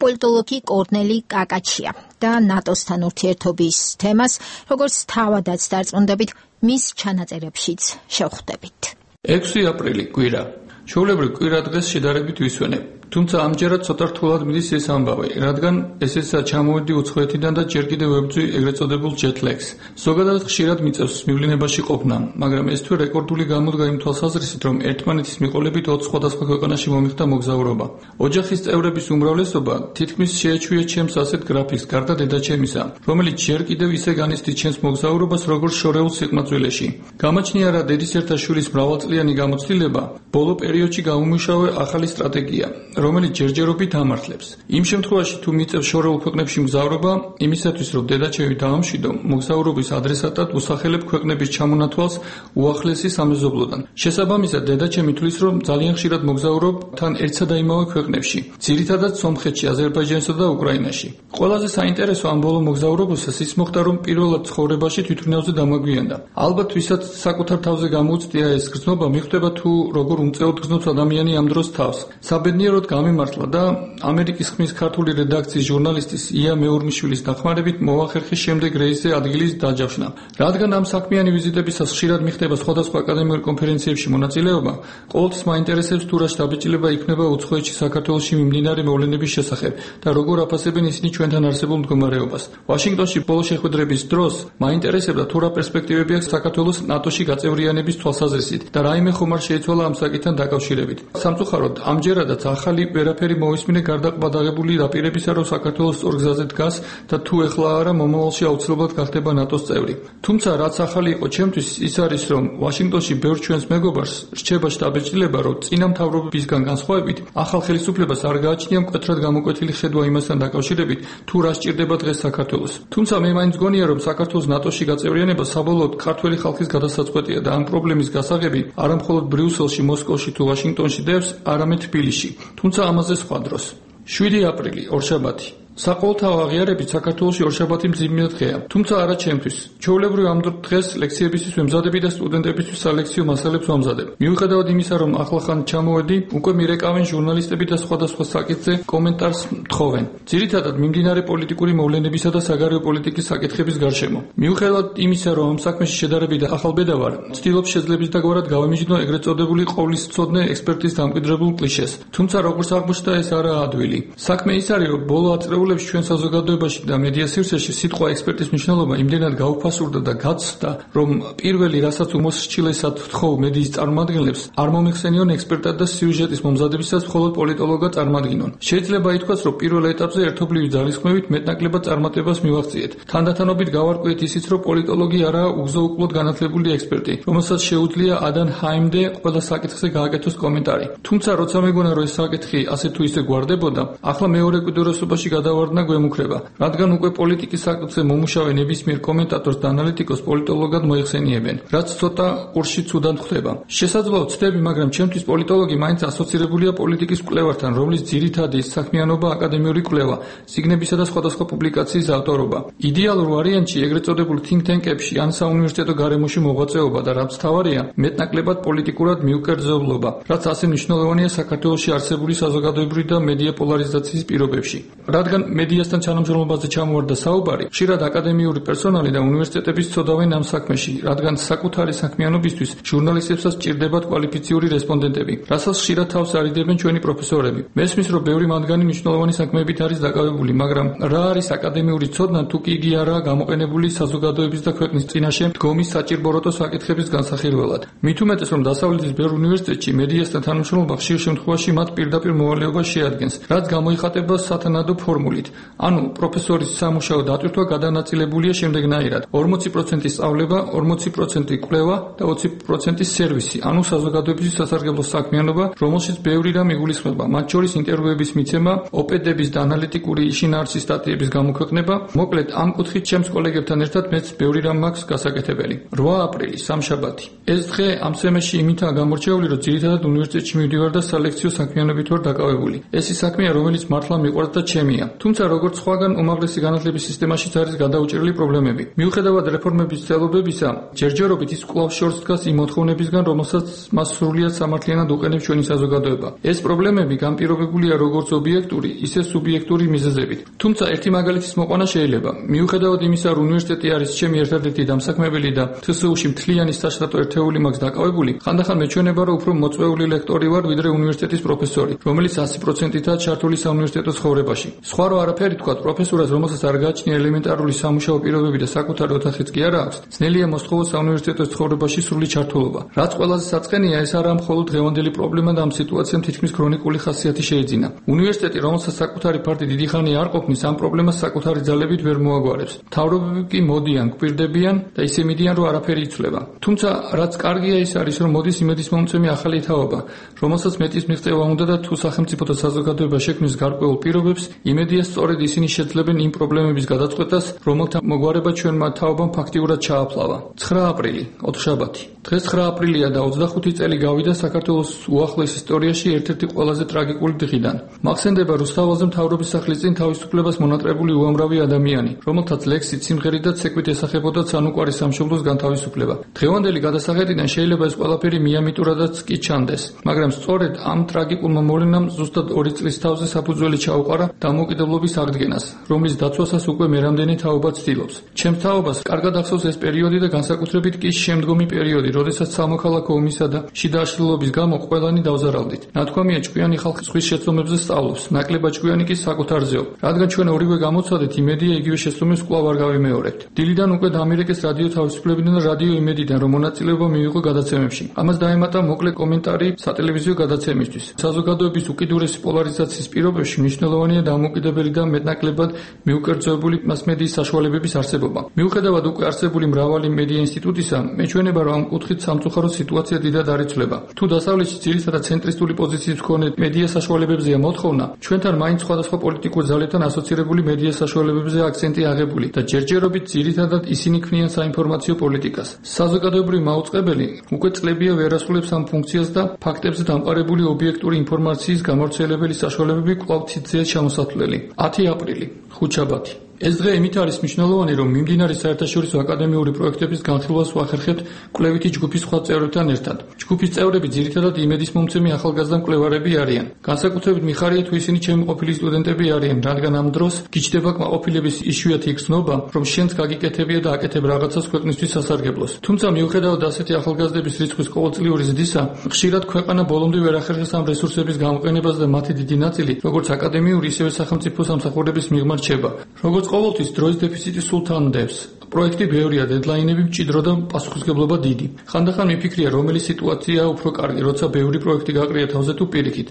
[SPEAKER 1] პოლიტოლოგი კორნელი კაკაჩია და ნატოსთან ურთიერთობის თემას, როგორც თავადაც დარწმუნდებით, მის ჩანაწერებშიც შევხვდებით.
[SPEAKER 16] 6 აპრილი კვირა. ჩვეულებრივ კვირა დღეს შედარებით ვისვენებ. თუმცა ამჯერად ცოტა რთულად მიდის ეს ამბავი, რადგან ესეცა ჩამოვედი უცხოეთიდან და ჯერ კიდევ ვებძვი ეგრეთ წოდებულ ჯეტლეგს. ზოგადად ხშირად მიწევს მივლინებაში ყოფნა, მაგრამ ეს თვე რეკორდული გამოდგა იმ თვალსაზრისით, რომ ერთმანეთის მიყოლებით 20 სხვადასხვა ქვეყანაში მომიხდა მოგზაურობა. ოჯახის წევრების უმრავლესობა თითქმის შეეჩვია ჩემს ასეთ გრაფიკს, გარდა დედაჩემისა, რომელიც ჯერ კიდევ ისე განიცდით ჩემს მოგზაურობას, როგორც შორეულ სიყმაწვილეში. გამაჩნია რა დედისერთა შვილის მრავალწლიანი გამოცდილება, ბოლო პერიოდში გამომუშავე ახალი სტრატეგია, რომელიც ჯერჯერობით ამართლებს. იმ შემთხვევაში, თუ მიწევს შორეულ ქვეყნებში მგზავრობა, იმისათვის, რომ დედაჩემი დაამშვიდო, მოგზაურობის ადრესატად უსახელებ ქვეყნების ჩამონათვალს უახლესი სამეზობლოდან. შესაბამისად, დედაჩემი თვლის, რომ ძალიან ხშირად მოგზაურობ თან ერთსა და იმავე ქვეყნებში, ძირითადად სომხეთში, აზერბაიჯანსა და უკრაინაში. ყველაზე საინტერესო ამ ბოლო მოგზაურობისას ის მოხდა, რომ პირველად ცხოვრებაში თვითმფრინავზე დამაგვიანდა. ალბათ, ვისაც საკუთარ თავზე გამოუწვია ეს გრძნობა, მიხვდება თუ როგორ უმწეოდ გრძნობს ადამიანი ამ დროს თავს. საბედნიეროდ გამემართლა და ამერიკის ხმის ქართული რედაქციის ჟურნალისტის ია მეურმიშვილის დახმარებით მოახერხეს შემდეგ რეისზე ადგილის დაჯავშნა. რადგან ამ საქმიანი ვიზიტებისას ხშირად მიხდება სხვადასხვა აკადემიურ კონფერენციებში მონაწილეობა, ყოველთვის მაინტერესებს თუ რა შთაბეჭდილება იქნება უცხოეთში საქართველოში მიმდინარე მოვლენების შესახებ და როგორ აფასებენ ისინი ჩვენთან არსებულ მდგომარეობას. ვაშინგტონში ბოლო შეხვედრების დროს მაინტერესებდა თუ რა პერსპექტივები აქვს საქართველოს ნატოში გაწევრიანების თვალსაზრისით და რაიმე ხომარ შეიცვალა ამ საკითხთან დაკავშირებით. სამწუხაროდ, ამჯერადაც ახალი ვერაფერი მოისმინე გარდა ყბადაღებული დაპირებისა, რომ საქართველოს სწორ გზაზე დგას და თუ ეხლა არა მომავალში აუცილებლად გახდება ნატოს წევრი. თუმცა რაც ახალი იყო ჩემთვის ის არის, რომ ვაშინგტონში ბევრ ჩვენს მეგობარს რჩება შთაბეჭდილება, რომ წინა მთავრობებისგან განსხვავებით ახალ ხელისუფლებას არ გააჩნია მკვეთრად გამოკვეთილი ხედვა იმასთან დაკავშირებით, თუ რა სჭირდება დღეს საქართველოს. თუმცა მე მაინც გონია, რომ საქართველოს ნატოში გაწევრიანება საბოლოოდ ქართველი ხალხის გადასაწყვეტია და ამ პრობლემის გასაღები არა მხოლოდ ბრიუსელში, მოსკოვში თუ ვაშინგტონში დევს, არამედ თბილისში. თუმცა ამაზე სხვა დროს. 7 აპრილი, ორშაბათი. საყოველთაო აღიარებით საქართველოში ორშაბათი მძიმე დღეა, თუმცა არა ჩემთვის. ჩვეულებრივ ამ დღეს ლექციებისთვის ვემზადები და სტუდენტებისთვის სალექციო მასალებს ვამზადებ. მიუხედავად იმისა, რომ ახლახან ჩამოვედი, უკვე მირეკავენ ჟურნალისტები და სხვადასხვა საკითხზე კომენტარს მთხოვენ. ძირითადად მიმდინარე პოლიტიკური მოვლენებისა და საგარეო პოლიტიკის საკითხების გარშემო. მიუხედავად იმისა, რომ ამ საქმეში შედარებით ახალბედა ვარ, ვცდილობ შეძლებისდაგვარად გავემიჯნო ეგრეთ წოდებული ყოვლისმცოდნე ექსპერტის დამკვიდრებულ კლიშეს. თუმცა როგორც აღმოჩნდა, ეს არაა ადვილი. საქმე ის არის, რომ ბოლო აწრეულებში ჩვენ საზოგადოებაში და მედია სივრცეში სიტყვა ექსპერტის მნიშვნელობა იმდენად გაუფასურდა და გაცდა, რომ პირველი, რასაც უმოსრჩილესად ვთხოვ მედიის წარმომადგენლებს, არ მომიხსენიონ ექსპერტად და სიუჟეტის მომზადებისას მხოლოდ პოლიტოლოგად წარმადგინონ. შეიძლება ითქვას, რომ პირველ ეტაპზე ერთობლივი ძალისხმევით მეტნაკლებად წარმატებას მივაღწიეთ. თანდათანობით გავარკვიეთ ისიც, რომ პოლიტოლოგი არაა უგზო-უკვლოდ განათლებული ექსპერტი, რომელსაც შეუძლია ადან ჰაიმდე ყველა საკითხზე გააკეთოს კომენტარი. თუმცა როცა მეგონა, რომ ეს საკითხი ასე თუ ისე გვარდებოდა, ახლა მეორე კვირდოსობაში გადავარდნა გვემუქრება, რადგან უკვე პოლიტიკის საკითხზე მომუშავე ნებისმიერ კომენტატორს და ანალიტიკოს პოლიტოლოგად მოიხსენიებენ, რაც ცოტა ყურში ცუდად ხვდება. შესაძლოა ვცდები, მაგრამ ჩემთვის პოლიტოლოგი მაინც ასოცირებულია პოლიტიკის კვლევართან, რომლის ძირითადი საქმიანობა აკადემიური კვლევა, სიგნებისა და სხვადასხვა პუბლიკაციის ავტორობა. იდეალურ ვარიანტში ეგრეთ წოდებულ think tank-ებში ან საუნივერსიტეტო გარემოში მოღვაწეობა და რაც თავარია, მეტნაკლებად პოლიტიკურად მიუკერძოვლობა, რაც ასე მნიშვნელოვანია საქართველოში არსებული საზოგადოებრივი და მედია პოლარიზაციის პირობებში. რადგან მედიასთან თანამშრომლობაზე ჩამოვარდა საუბარი, ხშირად აკადემიური პერსონალი და უნივერსიტეტების წოდავენ ამ საქმეში, რადგან საკუთარი საქმიანობისთვის ჟურნალისტებსაც სჭირდებათ კვალიფიციური რესპონდენტები, რასაც ხშირად თავს არიდებენ ჩვენი პროფესორები. მესმის, რომ ბევრი მათგანი მნიშვნელოვანი საქმეებით არის დაკავებული, მაგრამ რა არის აკადემიური ცოდნა, თუ კი იგი არაა გამოყენებული საზოგადოების და ქვეყნის წინაშე დგომის საჭირბოროტო საკითხების განსახილველად. მით უმეტეს, რომ დასავლეთის ბევრ უნივერსიტეტში მედიასთან თანამშრომლობა ხშირ შემთხვევაში მათ პირდაპირ მოვალეობას შეადგენს, რაც გამოიხატება სათანადო ფორმულით. ანუ პროფესორის სამუშაო დატვირთვა გადანაწილებულია შემდეგნაირად: 40% სწავლება, 40% კვლევა და 20% სერვისი, ანუ საზოგადოებისთვის სასარგებლო საქმიანობა, რომელშიც ბევრი რამ იგულისხმება, მათ შორის ინტერვიუების მიცემა, ოპედების და ანალიტიკური შინაარსის სტატიების გამოქვეყნება. მოკლედ, ამ კუთხით ჩემს კოლეგებთან ერთად მეც ბევრი რამ მაქვს გასაკეთებელი. 8 აპრილი, სამშაბათი. ეს დღე ამ სემესში იმითაა გამორჩეული, რომ ძირითადად უნივერსიტეტში მივდივარ და სალექციო საქმიანობით ვარ დაკავებული. ეს ის საქმეა, რომელიც მართლა მიყვარს და ჩემია. თუმცა როგორც სხვაგან უმაღლესი განათლების სისტემაშიც არის გადაუჭრელი პრობლემები. მიუხედავად რეფორმების ცდილობებისა, ჯერჯერობით ის კვლავ შორს დგას იმ მოთხოვნებისგან, რომელსაც მას სრულიად სამართლიანად უყენებს ჩვენი საზოგადოება. ეს პრობლემები განპირობებულია როგორც ობიექტური, ისე სუბიექტური მიზეზებით. თუმცა ერთი მაგალითის მოყვანა შეიძლება. მიუხედავად იმისა, რომ უნივერსიტეტი არის ჩემი ერთადერთი დამსაქმებელი და თსუ-ში მთლიანი საშტატო ერთეული მაქვს დაკავებული, ხანდახან მეჩვენება, რომ უფრო მოწვეული ლექტორი ვარ, ვიდრე უნივერსიტეტის პროფესორი, რომელიც 100%-ით ჩართული საუნივერსიტეტო ცხოვრებაში. სხვა რო არაფერი თქვა, პროფესორას, რომელსაც არ გააჩნია ელემენტარული სამუშაო პირობები და საკუთარი ოთახიც კი არ აქვს, ძნელია მოსთხოვოს საუნივერსიტეტო ცხოვრებაში სრული ჩართულობა. რაც ყველაზე საწყენია, ეს არა მხოლოდ დღევანდელი პრობლემა და ამ სიტუაციამ თითქმის ქრონიკული ხასიათი შეეძინა. უნივერსიტეტი, რომელსაც საკუთარი ფარდი დიდი ხანი არ ყოფნის, ამ პრობლემას საკუთარი ძალებით ვერ მოაგვარებს. მთავრობები კი მოდიან, გვირდებიან და ისე მიდიან, რომ არაფერი იცვლება. თუმცა რაც კარგია ის არის, რომ მოდის იმედისმომცემი ახალი თაობა, რომელსაც მეტის მიღწევა უნდა და თუ სახელმწიფო და საზოგადოება შექმნის გარკვეულ პირობებს, იმედია სწორედ ისინი შეძლებენ იმ პრობლემების გადაწყვეტას, რომელთა მოგვარება ჩვენმა თაობამ ფაქტიურად ჩააფლავა. 9 აპრილი, ოთხშაბათი. დღეს 9 აპრილია და 25 წელი გავიდა საქართველოს უახლოეს ისტორიაში ერთ-ერთი ყველაზე ტრაგიკული დღიდან. მახსენდება რუსთაველზე მთავრობის სახლის წინ თავისუფლებას მონატრებული უამრავი ადამიანი, რომელთაც ლექსით, სიმღერით და ცეკვით ესახებოდათ სანუკვარი სამშობლოს განთავისუფლება. დღევანდელი გადასახედიდან შეიძლება ეს ყველაფერი მიამიტურადაც კი ჩანდეს, მაგრამ სწორედ ამ ტრაგიკულმა მოვლენამ ზუსტად 2 წლის თავზე საფუძველი ჩაუყარა დამოუკიდებლობის აღდგენას, რომლის დაცვასაც უკვე მერამდენი თაობა ცდილობს. ჩემს თაობას კარგად ახსოვს ეს პერიოდი და განსაკუთრებით კი შემდგომი პერიოდი, როდესაც სამოქალაქო ომისა და შიდა აშლილობის გამო ყველანი დავზარავდით. ნათქვამია, ჭკვიანი ხალხი ზღვის შეცდომებზე სწავლობს, ნაკლებად ჭკვიანი კი საკუთარზეო. რადგან ჩვენ ორივე გამოცადეთ, იმედია იგივე შეცდომებს კვლავ არ გავიმეორებთ. დილიდან უკვე დამირეკეს რადიო თავისუფლებიდან და რადიო იმედიდან, რომ მონაწილეობა მიიღო გადაცემებში. ამას დაემატა მოკლე კომენტარი სატელევიზიო გადაცემისთვის. საზოგადოების უკიდურესი პოლარიზაციის პირობებში მნიშვნელოვანია დამოუკიდებელი და მეტნაკლებად მიუკერძოებული მასმედიის საშუალებების არსებობა. მიუხედავად უკვე არსებული მრავალი მედია ინსტიტუტისა, მეჩვენება, რომ ამ კუთხით სამწუხარო სიტუაცია დიდად არ იცვლება. თუ დასავლეთში ძირითადად ცენტრისტული პოზიციის მქონე მედია საშუალებებზეა მოთხოვნა, ჩვენთან მაინც სხვადასხვა პოლიტიკურ ძალებთან ასოცირებული მედია საშუალებებზე აქცენტი აღებული და ჯერჯერობით ძირითადად ისინი ქმნიან საინფორმაციო პოლიტიკას. საზოგადოებრივი მაუწყებელი უკვე წლებია ვერ ასრულებს ამ ფუნქციას და ფაქტებზე დამყარებული ობიექტური ინფორმაციის გამავრცელებელი საშუალებები კვლავ ციცეა ჩამოსათვლელი. 10 აპრილი, ხუთშაბათი. ეს დღე იმით არის მნიშვნელოვანი, რომ მიმდინარე საერთაშორისო აკადემიური პროექტების განხილვას ვახერხებთ კვლევითი ჯგუფის სხვა წევრებთან ერთად. ჯგუფის წევრები ძირითადად იმედის მომცემი ახალგაზრდა მკვლევარები არიან. განსაკუთრებით მიხარია, თუ ისინი ჩემი ყოფილი სტუდენტები არიან, რადგან ამ დროს გიჩნდება კმაყოფილების იშვიათი გრძნობა, რომ შენც გაგიკეთებია და აკეთებ რაღაცას ქვეყნისთვის სასარგებლოს. თუმცა მიუხედავად ასეთი ახალგაზრდების რიცხვის ყოველწლიური ზრდისა, ხშირად ქვეყანა ბოლომდე ვერ ახერხებს ამ რესურსების გამოყენებას და მათი დიდი ნაწილი, როგორც აკადემიური, ისევე სახელმწიფო სამსახურების მიღმა რჩება. როგორც ყოველთვის დროის დეფიციტი სულ თანდებს. პროექტი ბევრია, დედლაინები მჭიდრო და პასუხისმგებლობა დიდი. ხანდახან მიფიქრია, რომელი სიტუაციაა უფრო კარგი, როცა ბევრი პროექტი გაყრია თავზე თუ პირიქით.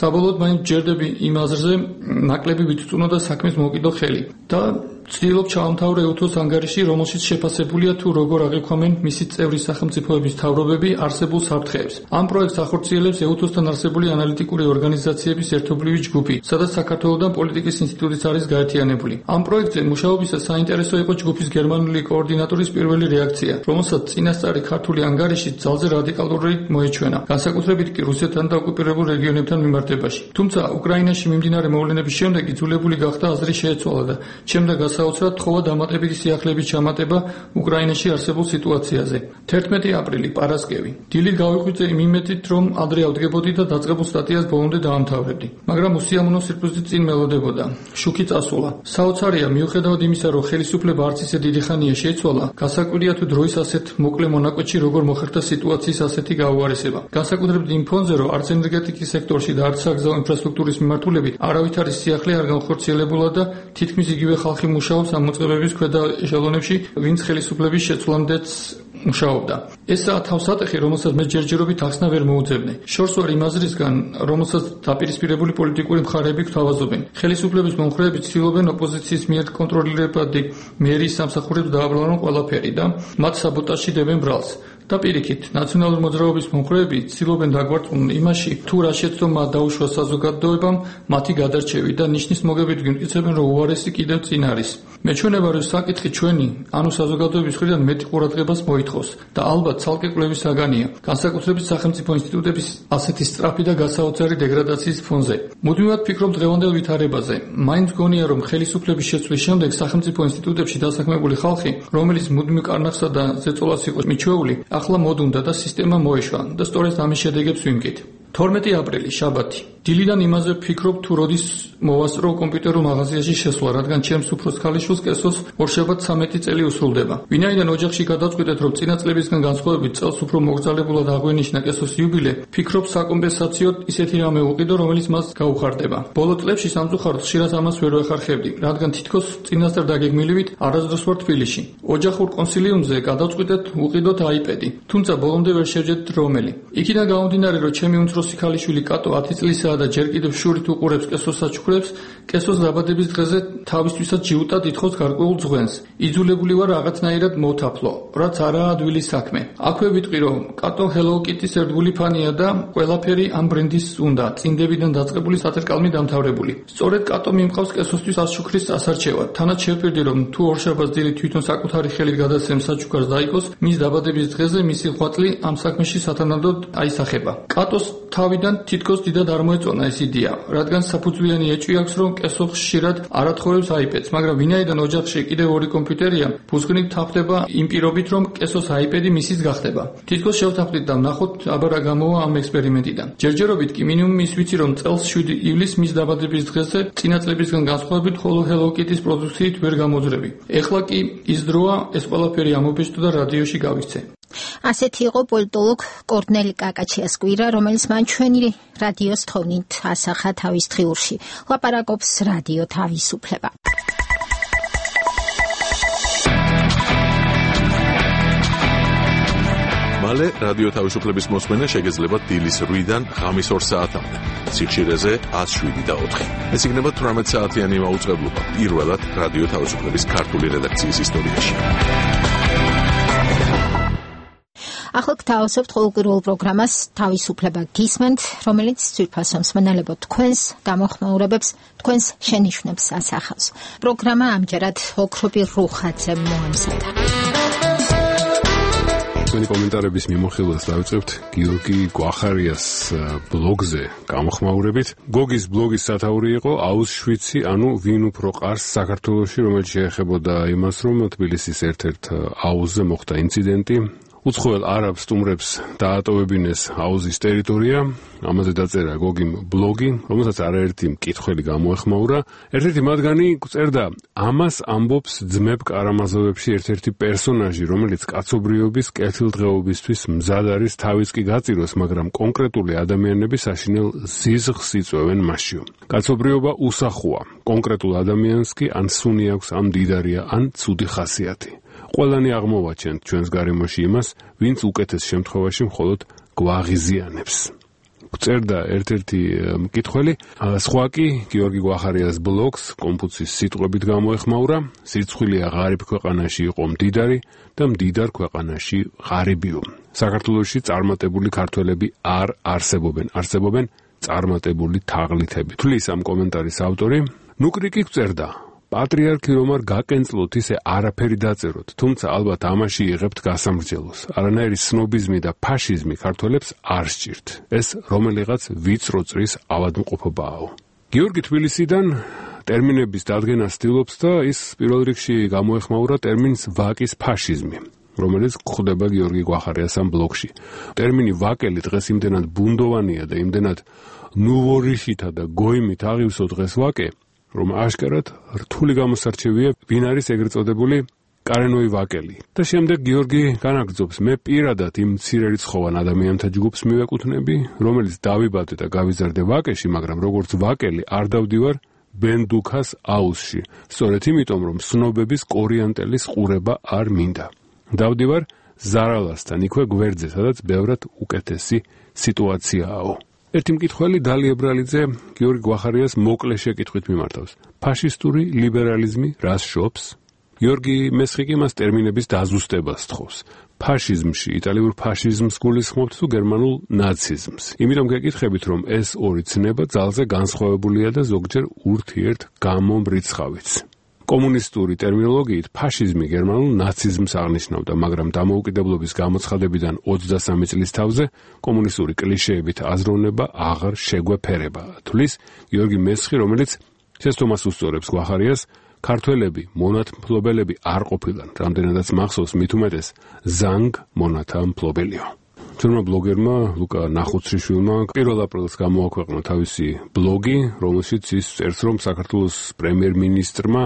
[SPEAKER 16] საბოლოოდ მაინც ჯერდები იმ აზრზე, ნაკლები ვიწწუნო და საქმეს მოვკიდო ხელი. და ვცდილობ ჩავამთავრე უთოს ანგარიში, რომელშიც შეფასებულია თუ როგორ აღიქვამენ მისი წევრი სახელმწიფოების მთავრობები არსებულ საფრთხეებს. ამ პროექტს ახორციელებს ეუთოსთან არსებული ანალიტიკური ორგანიზაციების ერთობლივი ჯგუფი, სადაც საქართველოდან პოლიტიკის ინსტიტუტიც არის გაერთიანებული. ამ პროექტზე მუშაობისას საინტერესო იყო ჯგუფის გერმანული კოორდინატორის პირველი რეაქცია, რომელსაც წინასწარი ქართული ანგარიში ძალზე რადიკალური მოეჩვენა, განსაკუთრებით კი რუსეთთან და ოკუპირებულ რეგიონებთან მიმართებაში. თუმცა უკრაინაში მიმდინარე მოვლენების შემდეგ იძულებული გახდა აზრი შეეცვალა და ჩემდა საოცრად თხოვა დამატებითი სიახლეების ჩამატება უკრაინაში არსებულ სიტუაციაზე. 11 აპრილი, პარასკევი. დილით გავიღვიძე იმ იმედით, რომ ადრე ავდგებოდი და დაწყებულ სტატიას ბოლომდე დაამთავრებდი. მაგრამ უსიამოვნო სირფუზით წინ მელოდებოდა. შუქი წასულა. საოცარია, მიუხედავად იმისა, რომ ხელისუფლება არც ისე დიდი ხანია შეიცვალა, გასაკვირია თუ დროის ასეთ მოკლე მონაკვეთში როგორ მოხერხდა სიტუაციის ასეთი გაუარესება. განსაკუთრებით იმ ფონზე, რომ არც ენერგეტიკის სექტორში და არც საგზაო ინფრასტრუქტურის მიმართულებით არავითარი სიახლე არ განხორციელებულა და თითქმის იგივე ხალხი მუშაობს ამ მოწყობების ქვედა ეშელონებში, ვინც ხელისუფლების შეცვლამდეც მუშაობდა. ესაა თავსატეხი, რომელსაც მე ჯერჯერობით ახსნა ვერ მოუძებნე. შორს ვარ იმ აზრისგან, რომელსაც დაპირისპირებული პოლიტიკური მხარეები გვთავაზობენ. ხელისუფლების მომხრეები ცდილობენ ოპოზიციის მიერ კონტროლირებადი მერიის სამსახურებს დააბრალონ ყველაფერი და მათ საბოტაჟში დებენ ბრალს. და პირიქით, ნაციონალური მოძრაობის მომხრეები ცდილობენ დაგვარწმუნონ იმაში, თუ რა შეცდომა დაუშვა საზოგადოებამ მათი გადარჩევი და ნიშნის მოგებით გვიმტკიცებენ, რომ უარესი კიდევ წინ არის. მეჩვენება, რომ საკითხი ჩვენი, ანუ საზოგადოების მხრიდან მეტი ყურადღებას მოითხოვს და ალბათ ცალკე კვლევის საგანია, განსაკუთრებით სახელმწიფო ინსტიტუტების ასეთი სწრაფი და გასაოცარი დეგრადაციის ფონზე. მუდმივად ვფიქრობ დღევანდელ ვითარებაზე. მაინც გონია, რომ ხელისუფლების შეცვლის შემდეგ სახელმწიფო ინსტიტუტებში დასაქმებული ხალხი, რომელიც მუდმივ კარნახსა და ზეწოლას იყო მიჩვეული, ახლა მოდუნდა და სისტემა მოეშვა და სწორედ ამის შედეგებს ვიმკით. 12 აპრილი, შაბათი. დილიდან იმაზე ვფიქრობ, თუ როდის მოვასწრო კომპიუტერულ მაღაზიაში შესვლა, რადგან ჩემს უფროს ქალიშვილს კესოს ორშაბათს 13 წელი უსრულდება. ვინაიდან ოჯახში გადავწყვიტეთ, რომ წინა წლებისგან განსხვავებით წელს უფრო მოგრძალებულად აღვენიშნა კესოს იუბილე, ვფიქრობ საკომპენსაციოდ ისეთი რამე უყიდო, რომელიც მას გაუხარდება. ბოლო წლებში სამწუხაროდ ხშირად ამას ვერ ვეხარხებდი, რადგან თითქოს წინასწარ დაგეგმილივით არასდროს ვარ თბილისში. ოჯახურ კონსილიუმზე გადავწყვიტეთ უყიდოთ iPad-ი, თუმცა ბოლომდე ვერ შევჯერდით რომელი. იქიდან გამომდინარე, რომ ჩემი უმცროსი ქალიშვილი კატო 10 წლისაა და ჯერ კიდევ შურით უყურებს კესოს საჩუქრებს, კესოს დაბადების დღეზე თავისთვისაც ჯიუტად ითხოვს გარკვეულ ძღვენს. იძულებული ვარ რაღაცნაირად მოვთაფლო, რაც არაა ადვილის საქმე. აქვე ვიტყვი, რომ კატო Hello Kitty-ს ერთგული ფანია და ყველაფერი ამ ბრენდის უნდა, წინდებიდან დაწყებული საწერკალმი დამთავრებული. სწორედ კატო მიმყავს კესოსთვის ასშუქრის ასარჩევად. თანაც შევპირდი, რომ თუ ორშაბათს დილით თვითონ საკუთარი ხელით გადასცემს საჩუქარს დაიკოს, მის დაბადების დღეზე მისი ღვაწლი ამ საქმეში სათანადოდ აისახება. კატოს თავიდან თითქოს დიდად არ მოეწონა ეს იდეა, რადგან საფუძვლიანი ეჭვი აქვს, რომ კესო ხშირად არ ათხოვებს iPad-ს, მაგრამ ვინაიდან ოჯახში კიდევ ორი კომპიუტერია, ფუძგნით თაფდება იმ პირობით, რომ კესოს iPad-ი მისის გახდება. თითქოს შევთანხმდით და ვნახოთ, აბა რა გამოვა ამ ექსპერიმენტიდან. ჯერჯერობით კი მინიმუმ ის ვიცი, რომ წელს 7 ივლისს მის დაბადების დღეზე წინა წლებისგან განსხვავებით ხოლო Hello Kitty-s პროდუქციით ვერ გამოძრები. ეხლა კი ის დროა ეს ყველაფერი ამობეჭდო და რადიოში გავიქცე.
[SPEAKER 1] ასეთი იყო პოლიტოლოგ კორნელი კაკაჩიას კვირა, რომელიც მან ჩვენი რადიოს თხოვნით ასახა თავის დღიურში. ლაპარაკობს რადიო თავისუფლება.
[SPEAKER 13] მალე რადიო თავისუფლების მოსმენა შეგეძლება დილის 8-დან ღამის 2 საათამდე. სიხშირეზე 107.4. ეს იქნება 18 საათიანი მაუწყებლობა პირველად რადიო თავისუფლების ქართული რედაქციის ისტორიაში.
[SPEAKER 1] ახლა გთავაზობთ ყოველკვირეულ პროგრამას თავისუფლება გისმენთ, რომელიც ძვირფასო მსმენელებო თქვენს გამოხმაურებებს, თქვენს შენიშვნებს ასახავს. პროგრამა ამჯერად ოქრობი რუხაძე მოამზადა.
[SPEAKER 15] თქვენი კომენტარების მიმოხილვას დავიწყებთ გიორგი გვახარიას ბლოგზე გამოხმაურებით. გოგის ბლოგის სათაური იყო აუშვიცი, ანუ ვინ უფრო ყარს საქართველოში, რომელიც შეეხებოდა იმას, რომ თბილისის ერთ-ერთ აუზზე მოხდა ინციდენტი. უცხოელ არაბ სტუმრებს დაატოვებინეს აუზის ტერიტორია, ამაზე დაწერა გოგიმ ბლოგი, რომელსაც არაერთი მკითხველი გამოეხმაურა. ერთ-ერთი მათგანი წერდა, ამას ამბობს ძმებ კარამაზოვებში ერთ-ერთი პერსონაჟი, რომელიც კაცობრიობის კეთილდღეობისთვის მზად არის თავიც კი გაწიროს, მაგრამ კონკრეტული ადამიანები საშინელ ზიზღს იწვევენ მასში. კაცობრიობა უსახოა, კონკრეტულ ადამიანს კი ან სუნი აქვს, ან მდიდარია, ან ცუდი ხასიათი. ყველანი აღმოვაჩენთ ჩვენს გარემოში იმას, ვინც უკეთეს შემთხვევაში მხოლოდ გვაღიზიანებს. წერდა ერთ-ერთი მკითხველი, სხვა კი გიორგი გვახარიას ბლოგს კონფუცის სიტყვებით გამოეხმაურა, სირცხვილია ღარიბ ქვეყანაში იყო მდიდარი და მდიდარ ქვეყანაში ღარიბიო. საქართველოში წარმატებული ქართველები არ არსებობენ, არსებობენ წარმატებული თაღლითები. თulis ამ კომენტარის ავტორი, ნუკრიკი წერდა, პატრიარქი რომ არ გაკენწლოთ ისე არაფერი დაწეროთ, თუმცა ალბათ ამაში იღებთ გასამრჯელოს. არანაირი სნობიზმი და ფაშიზმი ქართველებს არ სჭირთ. ეს რომელიღაც ვიწრო წრის ავადმყოფობაა. გიორგი თბილისიდან ტერმინების დადგენას ცდილობს და ის პირველ რიგში გამოეხმაურა ტერმინს ვაკის ფაშიზმი, რომელიც გვხვდება გიორგი გვახარიას ამ ბლოგში. ტერმინი ვაკელი დღეს იმდენად ბუნდოვანია და იმდენად ნუვორიშითა და გოიმით აღივსო დღეს ვაკე, რომ აშკარად რთული გამოსარჩევია ვინ არის ეგრეთ წოდებული კარენოი ვაკელი. და შემდეგ გიორგი განაგრძობს, მე პირადად იმ მცირერიცხოვან ადამიანთა ჯგუფს მივეკუთვნები, რომელიც დავიბადე და გავიზარდე ვაკეში, მაგრამ როგორც ვაკელი არ დავდივარ ბენდუქას აუზში. სწორედ იმიტომ, რომ სნობების კორიანტელის ყურება არ მინდა. დავდივარ ზარალასთან, იქვე გვერდზე, სადაც ბევრად უკეთესი სიტუაციაა. ერთი მკითხველი დალი ებრალიძე გიორგი გვახარიას მოკლე შეკითხვით მიმართავს. ფაშისტური ლიბერალიზმი რას შობს? გიორგი მესხიკი მას ტერმინების დაზუსტებას თხოვს. ფაშიზმში იტალიურ ფაშიზმს გულისხმობთ თუ გერმანულ ნაციზმს. იმიტომ გეკითხებით, რომ ეს ორი ცნება ძალზე განსხვავებულია და ზოგჯერ ურთიერთ გამომრიცხავიც. კომუნისტური ტერმინოლოგიით ფაშიზმი გერმანულ ნაციზმს აღნიშნავდა, მაგრამ დამოუკიდებლობის გამოცხადებიდან 23 წლის თავზე კომუნისტური კლიშეებით აზროვნება აღარ შეგვეფერება. თulis გიორგი მესხი, რომელიც შესთომას უსწორებს გვახარიას, ქართველები მონათმფლობელები არ ყოფილან, რამდენადაც მახსოვს მით უმეტეს ზანგ მონათა მფლობელიო. ჩვენმა ბლოგერმა ლუკა ნახუცრიშვილმა 1 აპრილს გამოაქვეყნა თავისი ბლოგი, რომელშიც ის წერს, რომ საქართველოს პრემიერ-მინისტრმა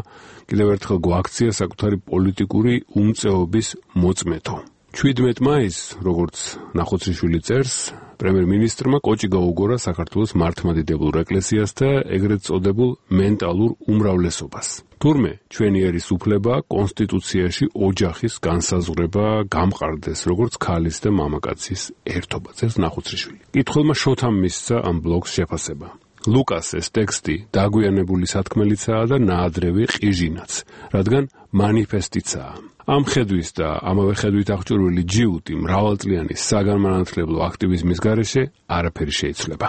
[SPEAKER 15] კიდევ ერთხელ გვაქცია საკუთარი პოლიტიკური უმწეობის მოწმეთო. 17 მაისს, როგორც ნახუცრიშვილი წერს, პრემიერ-მინისტრმა კოჭი გაუგორა საქართველოს მართლმადიდებელ ეკლესიას და ეგრეთ წოდებულ მენტალურ უმრავლესობას. თურმე ჩვენი ერის უფლება კონსტიტუციაში ოჯახის განსაზღვრება გამყარდეს, როგორც ქალის და მამაკაცის ერთობა, წერს ნახუცრიშვილი. კითხველმა შოთამ მისცა ამ ბლოგს შეფასება. ლუკას ეს ტექსტი დაგვიანებული სათქმელიცაა და ნაადრევი ყიჟინაც, რადგან მანიფესტიცაა. ამ ხედვის და ამავე ხედვით აღჭურვილი ჯიუტი მრავალწლიანი საგანმანათლებლო აქტივიზმის გარეშე არაფერი შეიცვლება.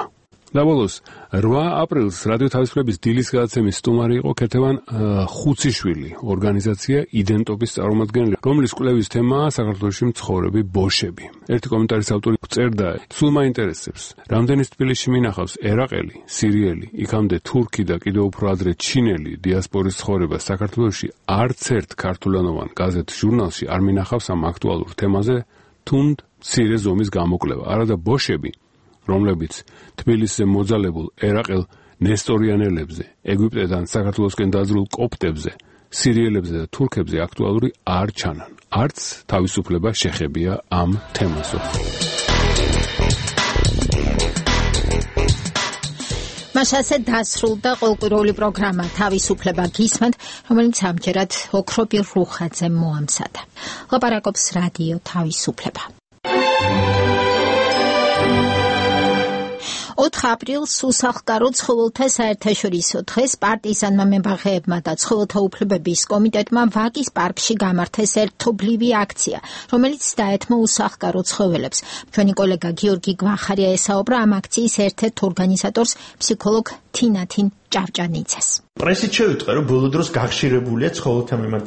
[SPEAKER 15] Dabos 8 აპრილს რადიო თავისუფლების დილის გადაცემის სტუმარი იყო ქეთევან ხუციშვილი, ორგანიზაცია იდენტობის წარმომადგენელი, რომლის კვლევის თემაა საქართველოში მცხოვრები ბოშები. ერთი კომენტარის ავტორი წერდა: "სულ მაინტერესებს, რამდენის თბილისში მინახავს ერაყელი, სირიელი, იქამდე თურქი და კიდევ უფრო ადრე ჩინელი დიასპორის ცხოვრება საქართველოში არც ერთ ქართულენოვან გაზეთ ჟურნალში არ მინახავს ამ აქტუალურ თემაზე თუნდ მცირე ზომის გამოკვლევა. არადა ბოშები რომლებიც თბილისზე მოძალებულ ერაყელ ნესტორიანელებზე, ეგვიპტედან საქართველოსკენ დაძრულ კოპტებზე, სირიელებზე და თურქებზე აქტუალური არ ჩანან. არც თავისუფლება შეხებია ამ თემაზე.
[SPEAKER 1] მასაზე დასრულდა ყოველკვირეული პროგრამა თავისუფლება გისმენთ, რომელიც ამჯერად ოქრობირ რუხაძე მოამზადა. ლაპარაკობს რადიო თავისუფლება. 4 აპრილს უსახლკარო ცხოველთა საერთაშორისო დღეს პარტიზანმა მებაღეებმა და ცხოველთა უფლებების კომიტეტმა ვაკის პარკში გამართეს ერთობლივი აქცია, რომელიც დაეთმო უსახლკარო ცხოველებს. ჩვენი კოლეგა გიორგი გვახარია ესაუბრა ამ აქციის ერთ-ერთ ორგანიზატორს, ფსიქოლოგ თინათინ ჭავჭანიძეს.
[SPEAKER 5] პრესით შევიტყვე, რომ ბოლო დროს გახშირებულია ცხოველთა მიმართ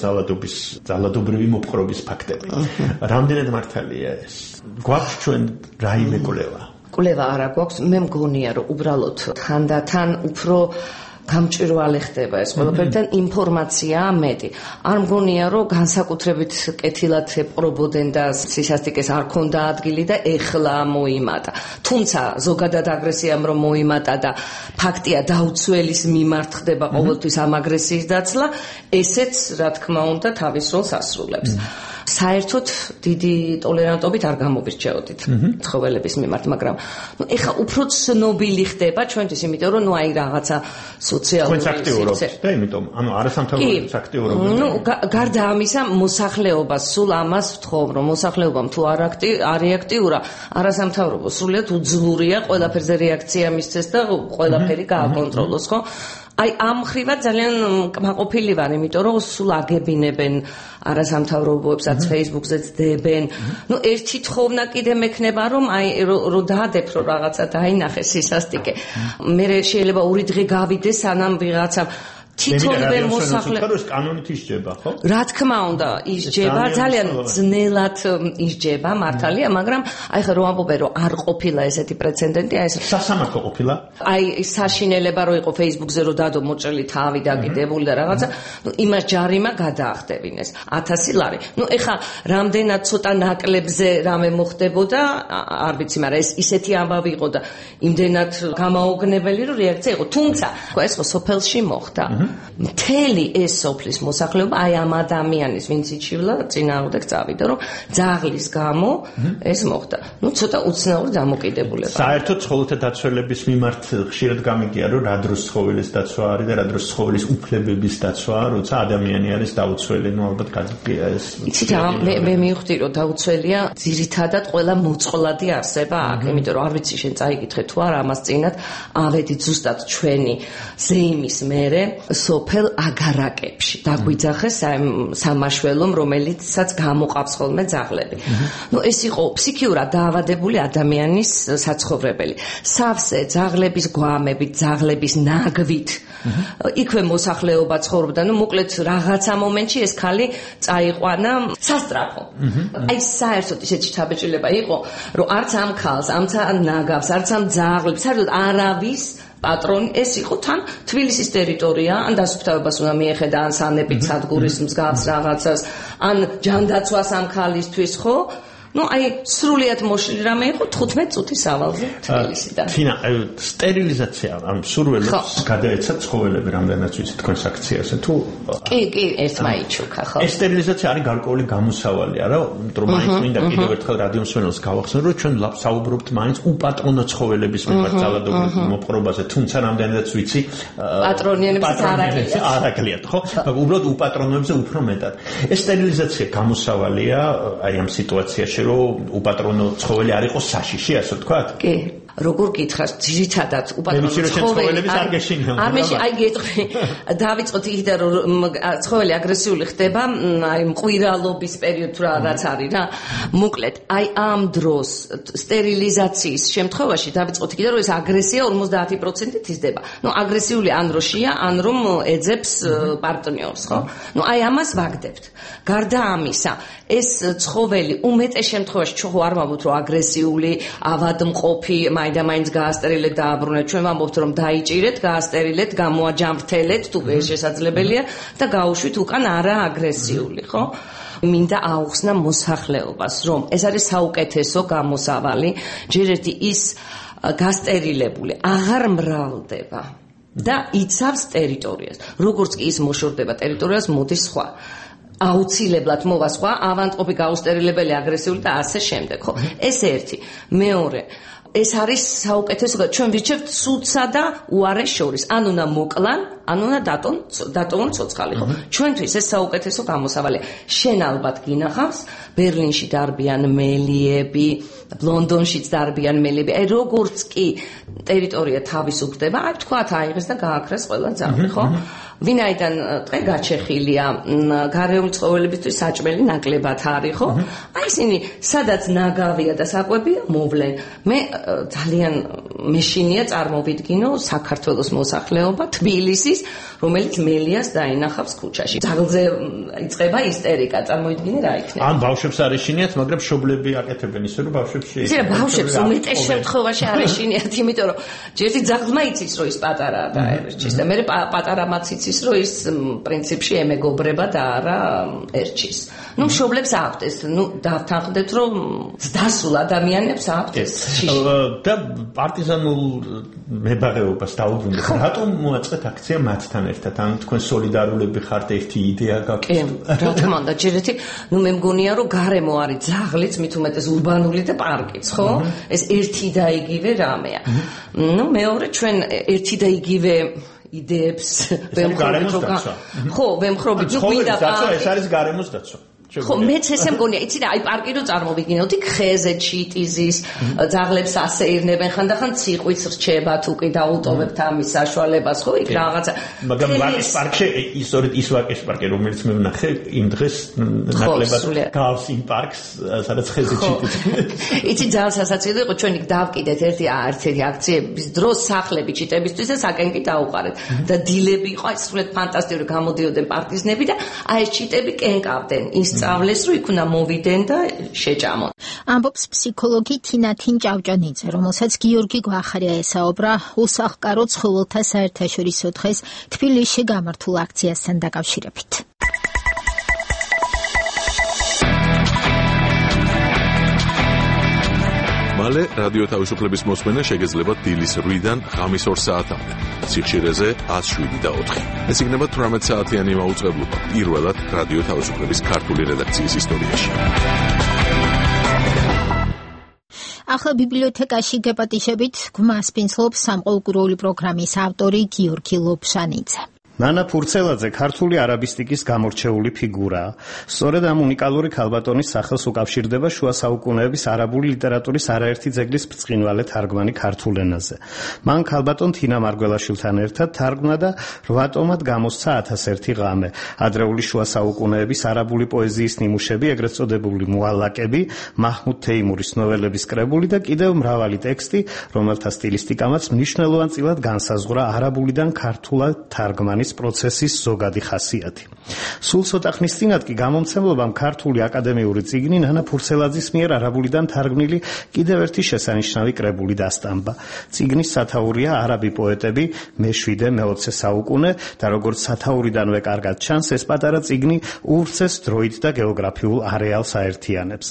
[SPEAKER 5] ძალადობრივი მოპყრობის ფაქტები. რამდენად მართალია ეს? გვაქვს ჩვენ რაიმე კვლევა?
[SPEAKER 17] კვლევა არა გვაქვს, მე მგონია, რომ უბრალოდ თანდათან უფრო გამჭვირვალე ხდება ეს ყველაფერი და ინფორმაციაა მეტი. არ მგონია, რომ განსაკუთრებით კეთილად ეპყრობოდნენ და სისასტიკეს არ ქონდა ადგილი და ეხლა მოიმატა. თუმცა ზოგადად აგრესიამ რომ მოიმატა და ფაქტია დაუცველის მიმართ ხდება ყოველთვის ამ აგრესიის დაცლა, ესეც რა თქმა უნდა თავის როლს ასრულებს. საერთოდ დიდი ტოლერანტობით არ გამოვირჩეოდით ცხოველების მიმართ, მაგრამ ეხა უფრო ცნობილი ხდება ჩვენთვის, იმიტომ რომ აი რაღაცა სოციალური
[SPEAKER 5] სივრცე და იმიტომ არასამთავრობო აქტიურობა.
[SPEAKER 17] გარდა ამისა, მოსახლეობა სულ ამას ვთხოვ, რომ მოსახლეობამ თუ არ აქტიურა, არასამთავრობო სრულიად უძლურია ყველაფერზე რეაქცია მისცეს და ყველაფერი გააკონტროლოს, ხო? აი ამ ხრივად ძალიან კმაყოფილი ვარ, იმიტომ რომ სულ აგებინებენ არასამთავრობოებსაც, Facebook-ზეც დებენ. ერთი თხოვნა კიდე მექნება, რომ აი რო დაადებ რომ რაღაცა დაინახეს სისასტიკე. მე შეიძლება 2 დღე გავიდეს, სანამ ვიღაცა თითოეულ მოსახლეობას
[SPEAKER 5] კანონით ისჯება, ხო?
[SPEAKER 17] რა თქმა უნდა, ისჯება, ძალიან ძნელად ისჯება, მართალია, მაგრამ აი ხა რომ ამბობენ, რომ არ ყოფილა ესეთი პრეცედენტი, აი ეს
[SPEAKER 5] სასამართლო ყოფილა.
[SPEAKER 17] აი საშინელება რო იყო Facebook-ზე რო დადო მოჭრილი თავი დაკიდებული და რაღაცა, იმას ჯარიმა გადაახდებინეს 1000 ლარი. ეხა რამდენად ცოტა ნაკლებზე რამე მოხდებოდა, არ ვიცი, მაგრამ ეს ისეთი ამბავი იყო და იმდენად გამაოგნებელი რომ რეაქცია იყო. თუმცა, ეს ხო სოფელში მოხდა. მთელი ეს სოფლის მოსახლეობა აი ამ ადამიანის ვინც იჩივლა წინააღმდეგ წავიდა, რომ ძაღლის გამო ეს მოხდა. ცოტა უცნაური დამოკიდებულება.
[SPEAKER 5] საერთოდ ცხოველთა დაცველების მიმართ ხშირად გამიგია, რომ რა დროს ცხოველის დაცვა არის და რა დროს ცხოველის უფლებების დაცვა, როცა ადამიანი არის დაუცველი, ალბათ გაგიგია ეს.
[SPEAKER 17] იცით, მე მივხვდი, რომ დაუცველია ძირითადად ყველა მოწყვლადი არსება აქ, იმიტომ რომ არ ვიცი შენ წაიკითხე თუ არა ამას წინათ, ავედით ზუსტად ჩვენი ზეიმის მერე სოფელ აგარაკებში დაგვიძახეს სამაშველომ, რომელიცაც გამოყავს ხოლმე ძაღლები. ეს იყო ფსიქიურად დაავადებული ადამიანის საცხოვრებელი. სავსე ძაღლების გვამებით, ძაღლების ნაგვით იქვე მოსახლეობა ცხოვრობდა. მოკლედ რაღაცა მომენტში ეს ქალი წაიყვანა სასტრაფო. აი საერთოდ ისეთი შთაბეჭდილება იყო, რომ არც ამ ქალს, არც ამ ნაგავს, არც ამ ძაღლებს, საერთოდ არავის პატრონი ეს იყო თან თბილისის ტერიტორია, ან დასუფთავებას უნდა მიეხედა, ან სანეპით სადგურის მსგავს რაღაცას, ან ჯანდაცვას ამ ქალისთვის, ხო? აი სრულიად მოშლილი რამე იყო 15 წუთის ავალზე თბილისიდან.
[SPEAKER 5] თინა, სტერილიზაცია, ან სურველებს გადაეცა ცხოველები, რამდენად ვიცი თქვენს აქციაზე თუ
[SPEAKER 17] კი, ერთმა იჩუქა, ხო?
[SPEAKER 5] ეს სტერილიზაცია არის გარკვეული გამოსავალი, არა? რომ მაინც მინდა კიდევ ერთხელ რადიო მსმენელს გავახსენო, რომ ჩვენ საუბრობთ მაინც უპატრონო ცხოველების მიმართ ძალადობრივ მოპყრობაზე, თუმცა რამდენადაც ვიცი
[SPEAKER 17] პატრონიანებს არ
[SPEAKER 5] აკლიათ, ხო? უბრალოდ უპატრონოებზე უფრო მეტად. ეს სტერილიზაცია გამოსავალია აი ამ სიტუაციაში, რომ უპატრონო ცხოველი არ იყოს საშიში, ასე ვთქვათ?
[SPEAKER 17] კი. როგორ გითხრათ, ძირითადად უპატრონო ცხოველი არ მეში აი გეტყვი დავიწყოთ იქიდან რომ ცხოველი აგრესიული ხდება აი მყვირალობის პერიოდ რაც არის რა მოკლედ აი ამ დროს სტერილიზაციის შემთხვევაში დავიწყოთ იქიდან რომ ეს აგრესია 50% იზრდება ნუ აგრესიული ან როშია ან რომ ეძებს პარტნიორს ხო ნუ აი ამას ვაგდებთ გარდა ამისა ეს ცხოველი უმეტეს შემთხვევაში ჩვენ არ ვამბობთ რომ აგრესიული ავადმყოფი მაინდა-მაინც გაასტერილეთ და აბრუნეთ ჩვენ ვამბობთ რომ დაიჭირეთ გაასტერილეთ გამოაჯამრთელეთ თუ ეს შესაძლებელია და გაუშვით უკან არა აგრესიული ხო მინდა აუხსნა მოსახლეობას რომ ეს არის საუკეთესო გამოსავალი ჯერ ერთი ის გასტერილებული აღარ მრავლდება და იცავს ტერიტორიას როგორც კი ის მოშორდება ტერიტორიას მოდის სხვა აუცილებლად მოვა სხვა ავადმყოფი გაუსტერილებელი აგრესიული და ასე შემდეგ ხო ეს ერთი მეორე ეს არის საუკეთესო ჩვენ ვირჩევთ სულსა და უარეს შორის ან უნდა მოკლან ან უნდა დატოვონ ცოცხალი ხო ჩვენთვის ეს საუკეთესო გამოსავალია შენ ალბათ გინახავს ბერლინში დარბიან მელიები ლონდონშიც დარბიან მელიები აი როგორც კი ტერიტორია თავისუფლდება აი თქვათ აიღეს და გააქრეს ყველა ძაღლი ხო ვინაიდან დღე გაჩეხილია გარეული ცხოველებისთვის საჭმელი ნაკლებად არის ხო აი ისინი სადაც ნაგავია და საკვებია მოვლენ მე ძალიან მეშინია წარმოვიდგინო საქართველოს მოსახლეობა თბილისის რომელიც მელიას დაინახავს ქუჩაში ძაღლზე იწყება ისტერიკა წარმოიდგინე რა იქნება
[SPEAKER 5] ან ბავშვებს არ ეშინიათ მაგრამ მშობლები აკეთებენ ისე რომ ბავშვებს
[SPEAKER 17] შეიძლება ბავშვებს უმეტეს შემთხვევაში არ ეშინიათ იმიტომ რომ ჯერჯი ძაღლმა იცის რომ ის პატარაა და ერჩის და მე პატარამაც იცის რომ ის პრინციპში ემეგობრება და არა ერჩის ნუ მშობლებს აქვთ ეს ნუ დავთანხმდეთ რომ დასულ ადამიანებს აქვთ ეს
[SPEAKER 5] და პარტიზანულ მებაღეობას დაუბრუნდეთ რატომ მოაწყეთ აქცია მათთან ერთად ან თქვენ სოლიდარულები ხართ ერთი იდეა გაქვთ
[SPEAKER 17] რა თქმა უნდა ჯერ ერთი ნუ მე მგონია რომ გარემო არის ძაღლიც მით უმეტეს ურბანული და პარკიც ხო ეს ერთი და იგივე რამეა ნუ მეორე ჩვენ ერთი და იგივე იდეებს ვემხრობთ რომ ხო ვემხრობთ ნუ გვინდა
[SPEAKER 5] ეს არის გარემოს დაცვა
[SPEAKER 17] ხო მეც ესე მგონია იცი რა აი პარკი რო წარმოვიგინოთ იქ ხეზე ჩიტიზის ძაღლებს ასეირნებენ ხანდახან ციყვიც რჩება თუ კი დაუტოვებთ ამის საშუალებას ხო იქ რაღაცა
[SPEAKER 5] მაგრამ ვაკის პარკში ისორით ის ვაკის პარკი რომელიც მე ვნახე იმ დღეს ნაკლებად გავს იმ პარკს სადაც ხეზე ჩიტიზი
[SPEAKER 17] იცი ძალიან სასაცილო იყო ჩვენ იქ დავკიდეთ ერთი აქციების დროს სახლები ჩიტებისთვის და საკენკი დაუყარეთ და დილები იყო აი სრულიად ფანტასტიკური გამოდიოდნენ პარტიზნები და აი ეს ჩიტები კენკავდნენ სწავლეს რომ იქ უნდა მოვიდენ და შეჭამონ.
[SPEAKER 1] ამბობს ფსიქოლოგი თინათინ ჭავჭანიძე, რომელსაც გიორგი გვახარია ესაუბრა უსახლკარო ცხოველთა საერთაშორისო დღეს თბილისში გამართულ აქციასთან დაკავშირებით.
[SPEAKER 13] მალე რადიო თავისუფლების მოსმენა შეგეძლება დილის 8-დან ღამის 2 საათამდე. სიხშირეზე 107.4. ეს იქნება 18 საათიანი მაუწყებლობა პირველად რადიო თავისუფლების ქართული რედაქციის ისტორიაში.
[SPEAKER 1] ახლა ბიბლიოთეკაში გეპატიშებით გვმას პინცლობს სამყოლგუროული პროგრამის ავტორი გიორგი ლობშანიძე.
[SPEAKER 5] ნანა ფურცელაძე ქართული არაბისტიკის გამორჩეული ფიგურაა. სწორედ ამ უნიკალური ქალბატონის სახელს უკავშირდება შუა საუკუნეების არაბული ლიტერატურის არაერთი ძეგლის ბრწყინვალე თარგმანი ქართულ ენაზე. მან ქალბატონ თინა მარგველაშვილთან ერთად თარგმნა და 8 ტომად გამოსცა 1001 ღამე. ადრეული შუა საუკუნეების არაბული პოეზიის ნიმუშები, ეგრეთ წოდებული მუალაკები, მაჰმუდ თეიმურის ნოველების კრებული და კიდევ მრავალი ტექსტი, რომელთა სტილისტიკამაც მნიშვნელოვანწილად განსაზღვრა არაბულიდან ქართულად თარგმანის პროცესის ზოგადი ხასიათი. სულ ცოტა ხნის წინათ კი გამომცემლობამ ქართული აკადემიური წიგნი ნანა ფურცელაძის მიერ არაბულიდან თარგმნილი კიდევ ერთი შესანიშნავი კრებული დასტამბა. წიგნის სათაურია არაბი პოეტები მე-7-მე-20 საუკუნე და როგორც სათაურიდანვე კარგად ჩანს, ეს პატარა წიგნი ურცეს დროით და გეოგრაფიულ არეალს აერთიანებს.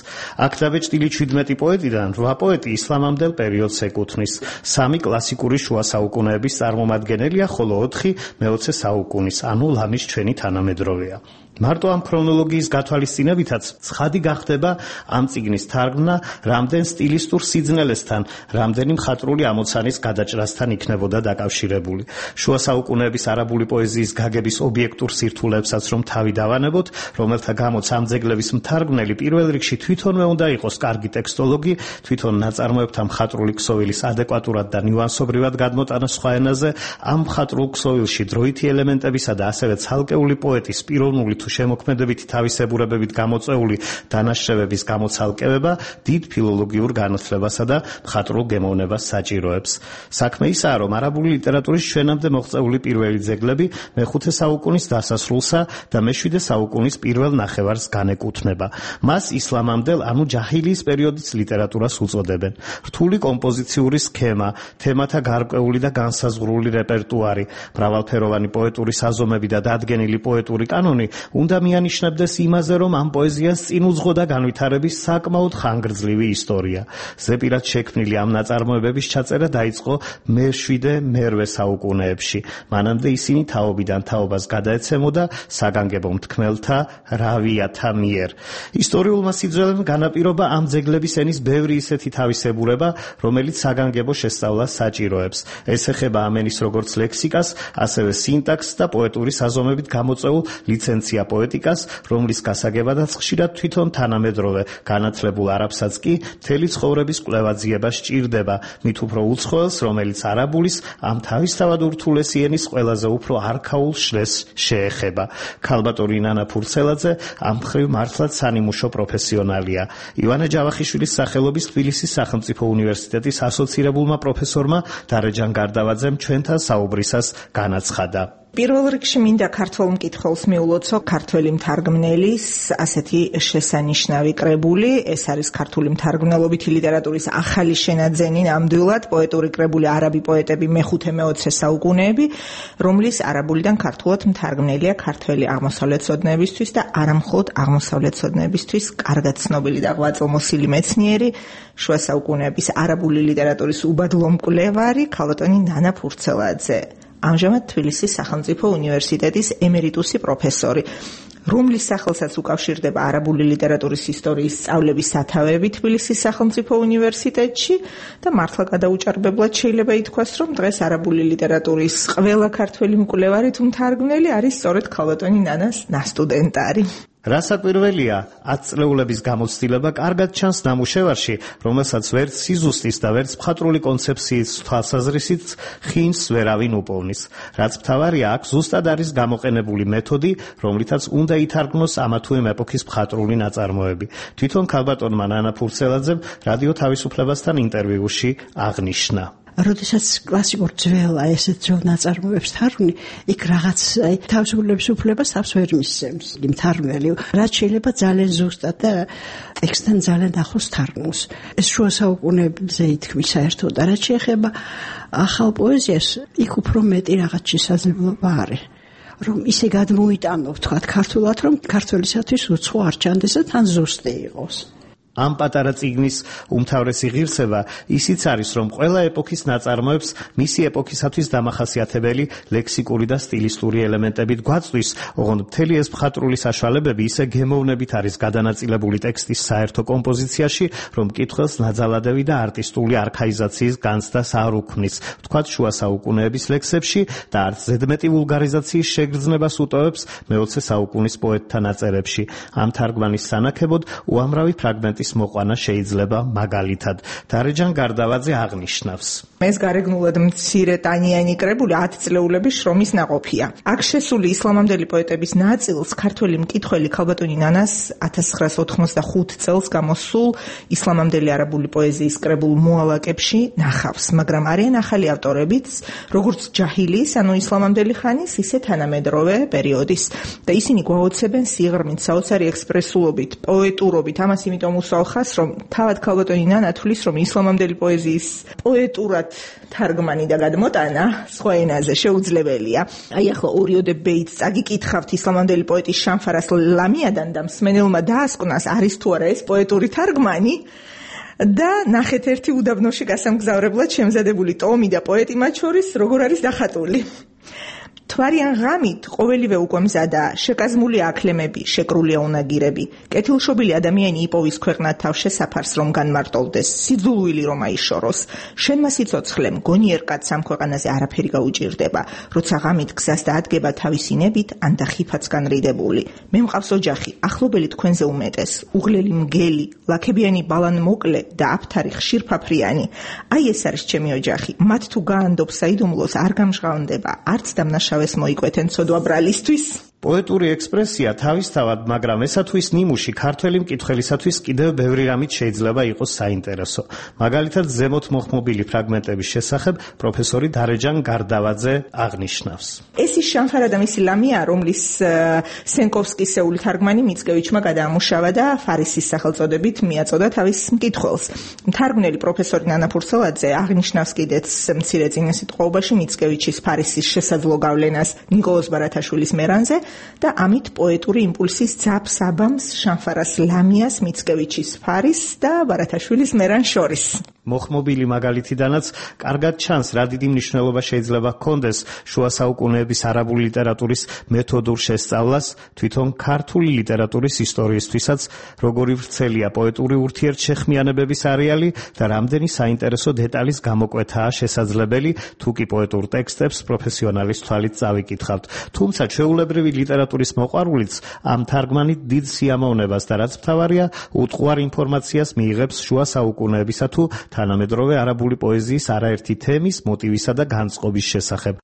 [SPEAKER 5] აქ დაბეჭდილი 17 პოეტიდან 8 პოეტი ისლამამდელ პერიოდს ეკუთვნის. 3 კლასიკური შუა საუკუნეების წარმომადგენელია, ხოლო 4 მე-20 საუკუნის, ანუ ლამის ჩვენი თანამედროვეა. მარტო ამ ქრონოლოგიის გათვალისწინებითაც ცხადი გახდება ამ წიგნის თარგმნა რამდენ სტილისტურ სიძნელესთან, რამდენი მხატვრული ამოცანის გადაჭრასთან იქნებოდა დაკავშირებული. შუა საუკუნეების არაბული პოეზიის გაგების ობიექტურ სირთულეებსაც რომ თავი დავანებოთ, რომელთა გამოც ამ ძეგლების მთარგმნელი პირველ რიგში თვითონვე უნდა იყოს კარგი ტექსტოლოგი, თვითონ ნაწარმოებთა მხატვრული ქსოვილის ადეკვატურად და ნიუანსობრივად გადმოტანა სხვა ენაზე, ამ მხატვრულ ქსოვილში დროითი ელემენტებისა და ასევე ცალკეული პოეტის პიროვნული თუ შემოქმედებითი თავისებურებებით გამოწვეული დანაშრევების გამოცალკევება დიდ ფილოლოგიურ განათლებასა და მხატვრულ გემოვნებას საჭიროებს. საქმე ისაა, რომ არაბული ლიტერატურის ჩვენამდე მოღწეული პირველი ძეგლები მე-5 საუკუნის დასასრულსა და მე-7 საუკუნის პირველ ნახევარს განეკუთვნება. მას ისლამამდელ, ანუ ჯაჰილიის პერიოდის ლიტერატურას უწოდებენ. რთული კომპოზიციური სქემა, თემათა გარკვეული და განსაზღვრული რეპერტუარი, მრავალფეროვანი პოეტური საზომები და დადგენილი პოეტური კანონი უნდა მიანიშნებდეს იმაზე, რომ ამ პოეზიას წინ უძღოდა განვითარების საკმაოდ ხანგრძლივი ისტორია. ზეპირად შექმნილი ამ ნაწარმოებების ჩაწერა დაიწყო მე-7-მე-8 საუკუნეებში. მანამდე ისინი თაობიდან თაობას გადაეცემოდა საგანგებო მთქმელთა, რავიათა მიერ. ისტორიულმა სიძველემ განაპირობა ამ ძეგლების ენის ბევრი ისეთი თავისებურება, რომელიც საგანგებო შესწავლას საჭიროებს. ეს ეხება ამ ენის როგორც ლექსიკას, ასევე სინტაქსს და პოეტური საზომებით გამოწვეულ ლიცენცია პოეტიკას, რომლის გასაგებადაც ხშირად თვითონ თანამედროვე განათლებულ არაბსაც კი მთელი ცხოვრების კვლევა-ძიება სჭირდება, მით უფრო უცხოელს, რომელიც არაბულის ამ თავისთავად ურთულესი ენის ყველაზე უფრო არქაულ შრეს შეეხება. ქალბატონი ნანა ფურცელაძე ამ მხრივ მართლაც სანიმუშო პროფესიონალია. ივანე ჯავახიშვილის სახელობის თბილისის სახელმწიფო უნივერსიტეტის ასოცირებულმა პროფესორმა დარეჯან გარდავაძემ ჩვენთან საუბრისას განაცხადა.
[SPEAKER 18] პირველ რიგში მინდა ქართველ მკითხველს მიულოცო ქართველი მთარგმნელის ასეთი შესანიშნავი კრებული. ეს არის ქართული მთარგმნელობითი ლიტერატურის ახალი შენაძენი, ნამდვილად პოეტური კრებული არაბი პოეტები მე-5-მე-20 საუკუნეები, რომლის არაბულიდან ქართულად მთარგმნელია ქართველი აღმოსავლეთცოდნეებისთვის და არამხოლოდ აღმოსავლეთცოდნეებისთვის კარგად ცნობილი და ღვაწლმოსილი მეცნიერი, შუა საუკუნეების არაბული ლიტერატურის უბადლო მკვლევარი ქალბატონი ნანა ფურცელაძე. ამჟამად თბილისის სახელმწიფო უნივერსიტეტის ემერიტუსი პროფესორი, რომლის სახელსაც უკავშირდება არაბული ლიტერატურის ისტორიის სწავლების სათავეები თბილისის სახელმწიფო უნივერსიტეტში და მართლა გადაუჭარბებლად შეიძლება ითქვას, რომ დღეს არაბული ლიტერატურის ყველა ქართველი მკვლევარი თუ მთარგმნელი არის სწორედ ქალბატონი ნანას ნასტუდენტარი.
[SPEAKER 5] რასაკვირველია, 10 წლეულების გამოცდილება კარგად ჩანს ნამუშევარში, რომელსაც ვერც სიზუსტის და ვერც მხატვრული კონცეფციის თვალსაზრისით ხინს ვერავინ უპოვნის. რაც მთავარია, აქ ზუსტად არის გამოყენებული მეთოდი, რომლითაც უნდა ითარგმნოს ამა თუ იმ ეპოქის მხატვრული ნაწარმოები. თვითონ ქალბატონმა ნანა ფურცელაძემ რადიო თავისუფლებასთან ინტერვიუში აღნიშნა.
[SPEAKER 19] როდესაც კლასიკურ ძველ ესეთ ძველ ნაწარმოებებს თარგმნი, იქ რაღაც თავისუფლების უფლებას თავს ვერ მისცემს მთარგმნელი, რაც შეიძლება ძალიან ზუსტად და ტექსტთან ძალიან ახლოს თარგმნოს. ეს შუა საუკუნეებზე ითქმის საერთოდ და რაც შეეხება ახალ პოეზიას, იქ უფრო მეტი რაღაც შესაძლებლობა არის. რომ ისე გადმოიტანო, ვთქვათ, ქართულად, რომ ქართველისათვის უცხო არ ჩანდეს და თან ზუსტი იყოს.
[SPEAKER 5] ამ პატარა წიგნის უმთავრესი ღირსება ისიც არის, რომ ყველა ეპოქის ნაწარმოებს მისი ეპოქისათვის დამახასიათებელი ლექსიკური და სტილისტური ელემენტებით გვაწვის, ოღონდ მთელი ეს მხატვრული საშუალებები ისე გემოვნებით არის გადანაწილებული ტექსტის საერთო კომპოზიციაში, რომ მკითხველს ნაძალადევი და არტისტული არქაიზაციის განცდას არ უქმნის, ვთქვათ, შუა საუკუნეების ლექსებში და არც ზედმეტი ვულგარიზაციის შეგრძნებას უტოვებს მე-20 საუკუნის პოეტთა ნაწერებში. ამ თარგმანის სანაქებოდ უამრავი ფრაგმენტი მოყვანა შეიძლება მაგალითად. დარეჯან გარდავაძე აღნიშნავს.
[SPEAKER 18] ეს გარეგნულად მცირე ტანიანი კრებული 10 წლეულების შრომის ნაყოფია. აქ შესული ისლამამდელი პოეტების ნაწილს ქართველი მკითხველი ქალბატონი ნანას 1985 წელს გამოსულ ისლამამდელი არაბული პოეზიის კრებულ მოალაკებში ნახავს, მაგრამ არიან ახალი ავტორებიც, როგორც ჯაჰილიის, ანუ ისლამამდელი ხანის, ისე თანამედროვე პერიოდის და ისინი გვაოცებენ სიღრმით, საოცარი ექსპრესულობით, პოეტურობით. ამას იმიტომ უსალხას, რომ თავად ქალბატონი ნანა თვლის, რომ ისლამამდელი პოეზიის პოეტურად თარგმანი და გადმოტანა სხვა ენაზე შეუძლებელია. აი ახლა ორიოდე ბეიტს წაგიკითხავთ ისლამამდელი პოეტის შამფარას ლამიადან და მსმენელმა დაასკვნას, არის თუ არა ეს პოეტური თარგმანი და ნახეთ ერთი უდაბნოში გასამგზავრებლად შემზადებული ტომი და პოეტი მათ შორის როგორ არის დახატული. მთვარიან ღამით ყოველივე უკვე მზადაა, შეკაზმულია აქლემები, შეკრულია უნაგირები. კეთილშობილი ადამიანი იპოვის ქვეყნად თავ შესაფარს რომ განმარტოვდეს, სიძულვილი რომ აიშოროს. შენმა სიცოცხლე მგონიერ კაცს ამ ქვეყანაზე არაფერი გაუჭირდება, როცა ღამით გზას დაადგება თავისი ნებით, ან და ხიფაც განრიდებული. მე მყავს ოჯახი, ახლობელი თქვენზე უმეტეს, უღლელი მგელი, ლაქებიანი ბალან მოკლე და აფთარი ხშირფაფრიანი. აი ეს არის ჩემი ოჯახი. მათ თუ გაანდობს საიდუმლოს არ გამჟღავნდება, არც დამნაშავეს მოიკვეთენ ცოდვა ბრალისთვის.
[SPEAKER 5] პოეტური ექსპრესია თავისთავად, მაგრამ ესათვის ნიმუში ქართველი მკითხველისათვის კიდევ ბევრი რამით შეიძლება იყოს საინტერესო. მაგალითად, ზემოთ მოხმობილი ფრაგმენტების შესახებ პროფესორი დარეჯან გარდავაძე აღნიშნავს.
[SPEAKER 18] ეს ის შანხარა და მისი ლამია, რომლის სენკოვსკისეული თარგმანი მიცკევიჩმა გადაამუშავა და ფარისის სახელწოდებით მიაწოდა თავის მკითხველს. მთარგმნელი პროფესორი ნანა ფურცელაძე აღნიშნავს კიდეც მცირე წინასიტყვაობაში მიცკევიჩის ფარისის შესაძლო გავლენას ნიკოლოზ ბარათაშვილის მერანზე და ამით პოეტური იმპულსის ძაბს აბამს შანხარას ლამიას, მიცკევიჩის ფარის და ბარათაშვილის მერან შორის.
[SPEAKER 5] მოხმობილი მაგალითიდანაც კარგად ჩანს, რა დიდი მნიშვნელობა შეიძლება ჰქონდეს შუა საუკუნეების არაბული ლიტერატურის მეთოდურ შესწავლას, თვითონ ქართული ლიტერატურის ისტორიისთვისაც, როგორი ვრცელია პოეტური ურთიერთშეხმიანებების არეალი და რამდენი საინტერესო დეტალის გამოკვეთაა შესაძლებელი, თუ კი პოეტურ ტექსტებს პროფესიონალის თვალით წავიკითხავთ. თუმცა ჩვეულებრივი ლიტერატურის მოყვარულიც ამ თარგმანით დიდ სიამოვნებას და რაც მთავარია, უტყუარ ინფორმაციას მიიღებს შუა საუკუნეებისა თუ თანამედროვე არაბული პოეზიის არაერთი თემის, მოტივისა და განწყობის შესახებ.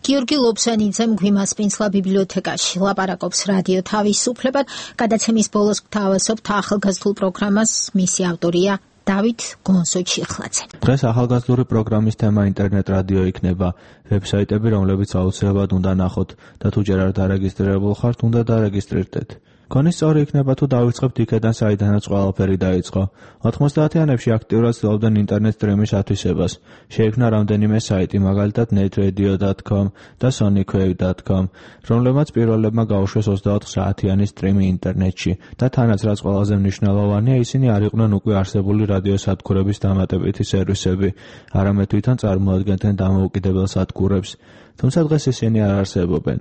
[SPEAKER 1] გიორგი ლობსანიძემ გვიმასპინძლა ბიბლიოთეკაში, ლაპარაკობს რადიო თავისუფლებად, გადაცემის ბოლოს გთავაზობთ ახალგაზრდულ პროგრამას, მისი ავტორია დავით გონსოჩიხლაძე.
[SPEAKER 20] დღეს ახალგაზრდული პროგრამის თემა ინტერნეტ რადიო იქნება, ვებსაიტები, რომლებიც აუცილებლად უნდა ნახოთ და თუ ჯერ არ დარეგისტრირებულ ხართ, უნდა დარეგისტრირდეთ. გონი სწორი იქნება თუ დავიწყებთ იქედან, საიდანაც ყველაფერი დაიწყო. 90-იანებში აქტიურად ცდილობდნენ ინტერნეტ სტრიმის ათვისებას. შეიქმნა რამდენიმე საიტი, მაგალითად netradio.com და sonicwave.com, რომლებმაც პირველებმა გაუშვეს 24 საათიანი სტრიმი ინტერნეტში და თანაც რაც ყველაზე მნიშვნელოვანია, ისინი არ იყვნენ უკვე არსებული რადიო სადგურების დამატებითი სერვისები, არამედ თვითონ წარმოადგენდნენ დამოუკიდებელ სადგურებს. თუმცა დღეს ისინი არ არსებობენ.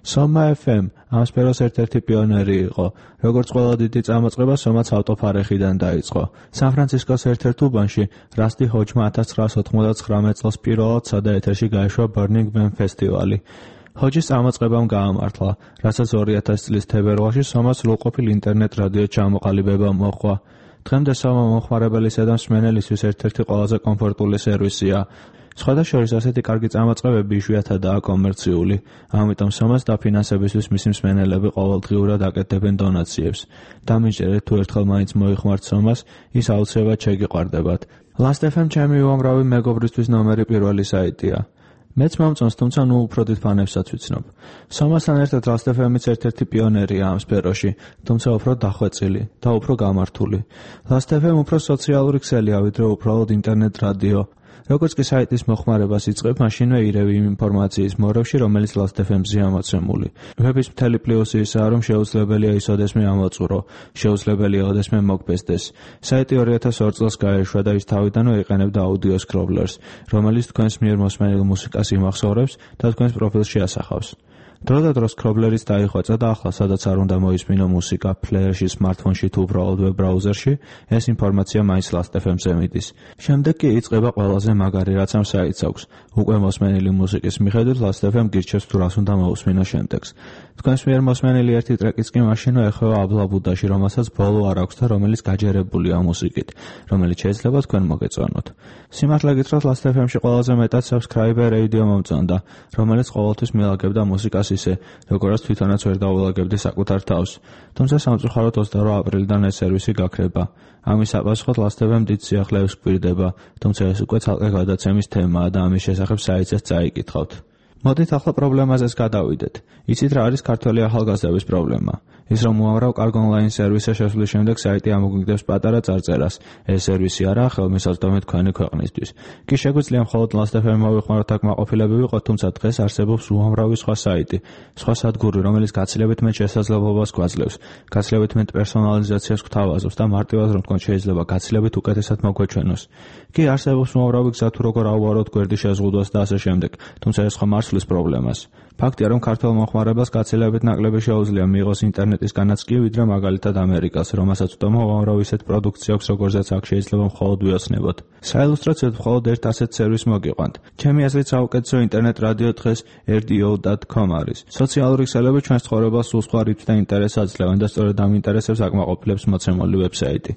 [SPEAKER 20] Soma FM ამ სფეროს ერთ-ერთი პიონერი იყო. როგორც ყველა დიდი წამოწყება, Soma-ც ავტოფარეხიდან დაიწყო. სან-ფრანცისკოს ერთ-ერთ უბანში რასტი ჰოჯმა 1999 წელს პირველად სადაეთერში გაეშვა Burning Man ფესტივალი. ჰოჯის წამოწყებამ გაამართლა, რასაც 2000 წლის თებერვალში Soma-ს სრულყოფილ ინტერნეტ რადიო ჩამოყალიბება მოჰყვა. დღემდე Soma მომხმარებელისა და მსმენელისთვის ერთ-ერთი ყველაზე კომფორტული სერვისია. სხვადასხვა ასეთი კარგი წამოწყებები იშვიათადაა კომერციული, ამიტომ Soma-ს დაფინანსებისთვის მისი მსმენელები ყოველდღიურად აკეთებენ დონაციებს. დამიჯერეთ თუ ერთხელ მაინც მოიხმართ Soma-ს, ის აუცილებლად შეგიყვარდებათ. Last.fm ჩემი უამრავი მეგობრისთვის ნომერი პირველი საიტია. მეც მომწონს, თუმცა ნუ უფრო დიდ ფანებსაც ვიცნობ. Soma-სთან ერთად Last.fm-იც ერთ-ერთი პიონერია ამ სფეროში, თუმცა უფრო დახვეწილი და უფრო გამართული. Last.fm უფრო სოციალური ქსელია, ვიდრე უბრალოდ ინტერნეტ რადიო. როგორც კი საიტის მოხმარებას იწყებ, მაშინვე ირევი იმ ინფორმაციის მორევში, რომელიც Last.fm-ზეა მოცემული. ვების მთელი პლუსი ისაა, რომ შეუძლებელია ის ოდესმე ამოწურო, შეუძლებელია ოდესმე მოგბესდეს. საიტი 2002 წელს გაერშვა და ის თავიდანვე იყენებდა აუდიო სკრობლერს, რომელიც თქვენს მიერ მოსმენილ მუსიკას იმახსოვრებს და თქვენს პროფილში ასახავს. დროდადრო სკრობლერიც დაიხვეწა და ახლა სადაც არ უნდა მოისმინო მუსიკა, პლეიერში, სმარტფონში თუ უბრალოდ ვებ ბრაუზერში, ეს ინფორმაცია მაინც Last.fm-ზე მიდის. შემდეგ კი იწყება ყველაზე მაგარი, რაც ამ საიტს აქვს. უკვე მოსმენილი მუსიკის მიხედვით Last.fm გირჩევს თუ რას უნდა მოусმინო შემდეგს. თქვენს მიერ მოსმენილი ერთი ტრეკიც კი მაშინვე ეხება აბლაბუდაში, რომელსაც ბოლო არ აქვს და რომელიც გაჯერებულია მუსიკით, რომელიც შეიძლება თქვენ მოგეწონოთ. სიმართლე გითხრათ, Last.fm-ში ყველაზე მეტად subscriber radio მომწონდა, რომელიც ყოველთვის მილაგებდა მუსიკას ისე, როგორაც თვითონაც ვერ დაულაგებდი საკუთარ თავს. თუმცა სამწუხაროდ 22 აპრილიდან ეს სერვისი გაქრება. ამის საპასუხოდ Last.fm დიდ სიახლეებს გვირდება, თუმცა ეს უკვე ცალკე გადაცემის თემაა და ამის შესახებ საიტზეც წაიკითხავთ. მოდით ახლა პრობლემაზეც გადავიდეთ. იცით რა არის ქართველი ახალგაზრდების პრობლემა? ის რომ უამრავ კარგ ონლაინ სერვისზე შესვლის შემდეგ საიტი ამოგიგდებს პატარა წარწერას. ეს სერვისი არაა ხელმისაწვდომი თქვენი ქვეყნისთვის. კი შეგვიძლია მხოლოდ Last.fm მოვიხმაროთ აქ მაყოფილები ვიყოთ, თუმცა დღეს არსებობს უამრავი სხვა საიტი, სხვა სადგური, რომელიც გაცილებით მეტ შესაძლებლობას გვაძლევს, გაცილებით მეტ პერსონალიზაციას გვთავაზობს და მარტივად რომ თქვენ შეიძლება გაცილებით უკეთესად მოგვეჩვენოს. კი არსებობს უამრავი გზა თუ როგორ ავუაროთ გვერდის შეზღუდვას და ასე შემდეგ, თუმცა ეს სხვა მარცვლით მოსვლის პრობლემას. ფაქტია, რომ ქართველ მომხმარებელს გაცილებით ნაკლები შეუძლია მიიღოს ინტერნეტისგანაც კი, ვიდრე მაგალითად ამერიკას, რომელსაც ვტომობ, რომ ისეთ პროდუქცია აქვს, როგორზეც აქ შეიძლება მხოლოდ ვიოცნებოთ. საილუსტრაციოდ მხოლოდ ერთ ასეთ სერვისს მოგიყვანთ. ჩემი აზრით საუკეთესო ინტერნეტ რადიო დღეს rdo.com არის. სოციალური ქსელები ჩვენს ცხოვრებას სულ სხვა რითმით და ინტერესს აძლევენ და სწორედ ამ ინტერესებს აკმაყოფილებს მოცემული ვებსაიტი.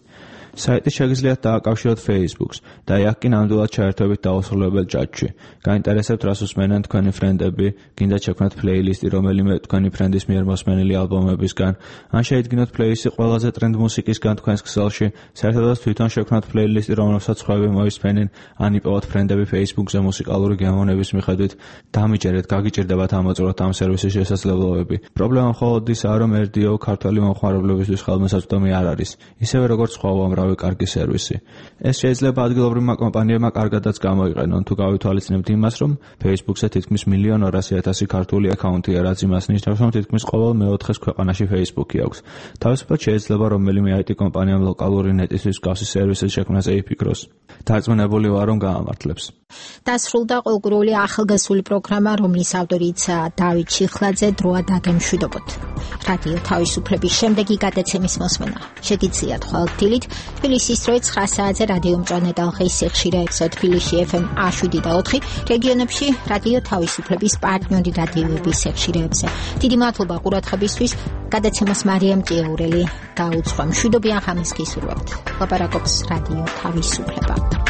[SPEAKER 20] საიტი შეგიძლიათ დააკავშიროთ Facebook-ს და აქ კი ნამდვილად ჩაერთვებით დაუსრულებელ ჯაჭვში. გაინტერესებთ რას უსმენენ თქვენი ფრენდები, გინდათ შექმნათ პლეილისტი რომელიმე თქვენი ფრენდის მიერ მოსმენილი ალბომებისგან, ან შეიდგინოთ პლეილისტი ყველაზე ტრენდ მუსიკისგან თქვენს ქსელში, საერთოდაც თვითონ შექმნათ პლეილისტი, რომელსაც სხვები მოისმენენ, ან იპოვოთ ფრენდები Facebook-ზე მუსიკალური გემოვნების მიხედვით, დამიჯერეთ, გაგიჭირდებათ ამოწუროთ ამ სერვისის შესაძლებლობები. პრობლემა მხოლოდ ისაა, რომ RDO ქართველი მომხმარებლებისთვის ხელმისაწვდომი არ არის, ისევე როგორც სხვა უამრავი კარგი სერვისი. ეს შეიძლება ადგილობრივმა კომპანიებმა კარგადაც გამოიყენონ, თუ გავითვალისწინებთ იმას, რომ Facebook-ზე თითქმის 1,200,000 ქართული აკაუნტია, რაც იმას ნიშნავს, რომ თითქმის ყოველ მეოთხეს ქვეყანაში Facebook-ი აქვს. თავისუფლად შეიძლება რომელიმე IT კომპანიამ ლოკალური ნეტისთვის მსგავსი სერვისის შექმნაზე იფიქროს. დარწმუნებული ვარ, რომ გაამართლებს.
[SPEAKER 1] დასრულდა ყოლგურული ახალგაზრდული პროგრამა, რომლის ავტორიცაა დავით ჩიხლაძე. დროა დაგემშვიდობოთ. რადიო თავისუფლების შემდეგი გადაცემის მოსმენა შეგიძლიათ ხვალ-დილით თბილისის დროით 9 საათზე რადიო მწვანე ტალღის სიხშირეებზე თბილისში FM 107 და 4, რეგიონებში რადიო თავისუფლების პარტნიორი რადიოების სიხშირეებზე. დიდი მადლობა ყურადღებისთვის. გადაცემას მარიამ ჭიაურელი გაუძღვა. მშვიდობიან ღამეს გისურვებთ. ლაპარაკობს რადიო თავისუფლება.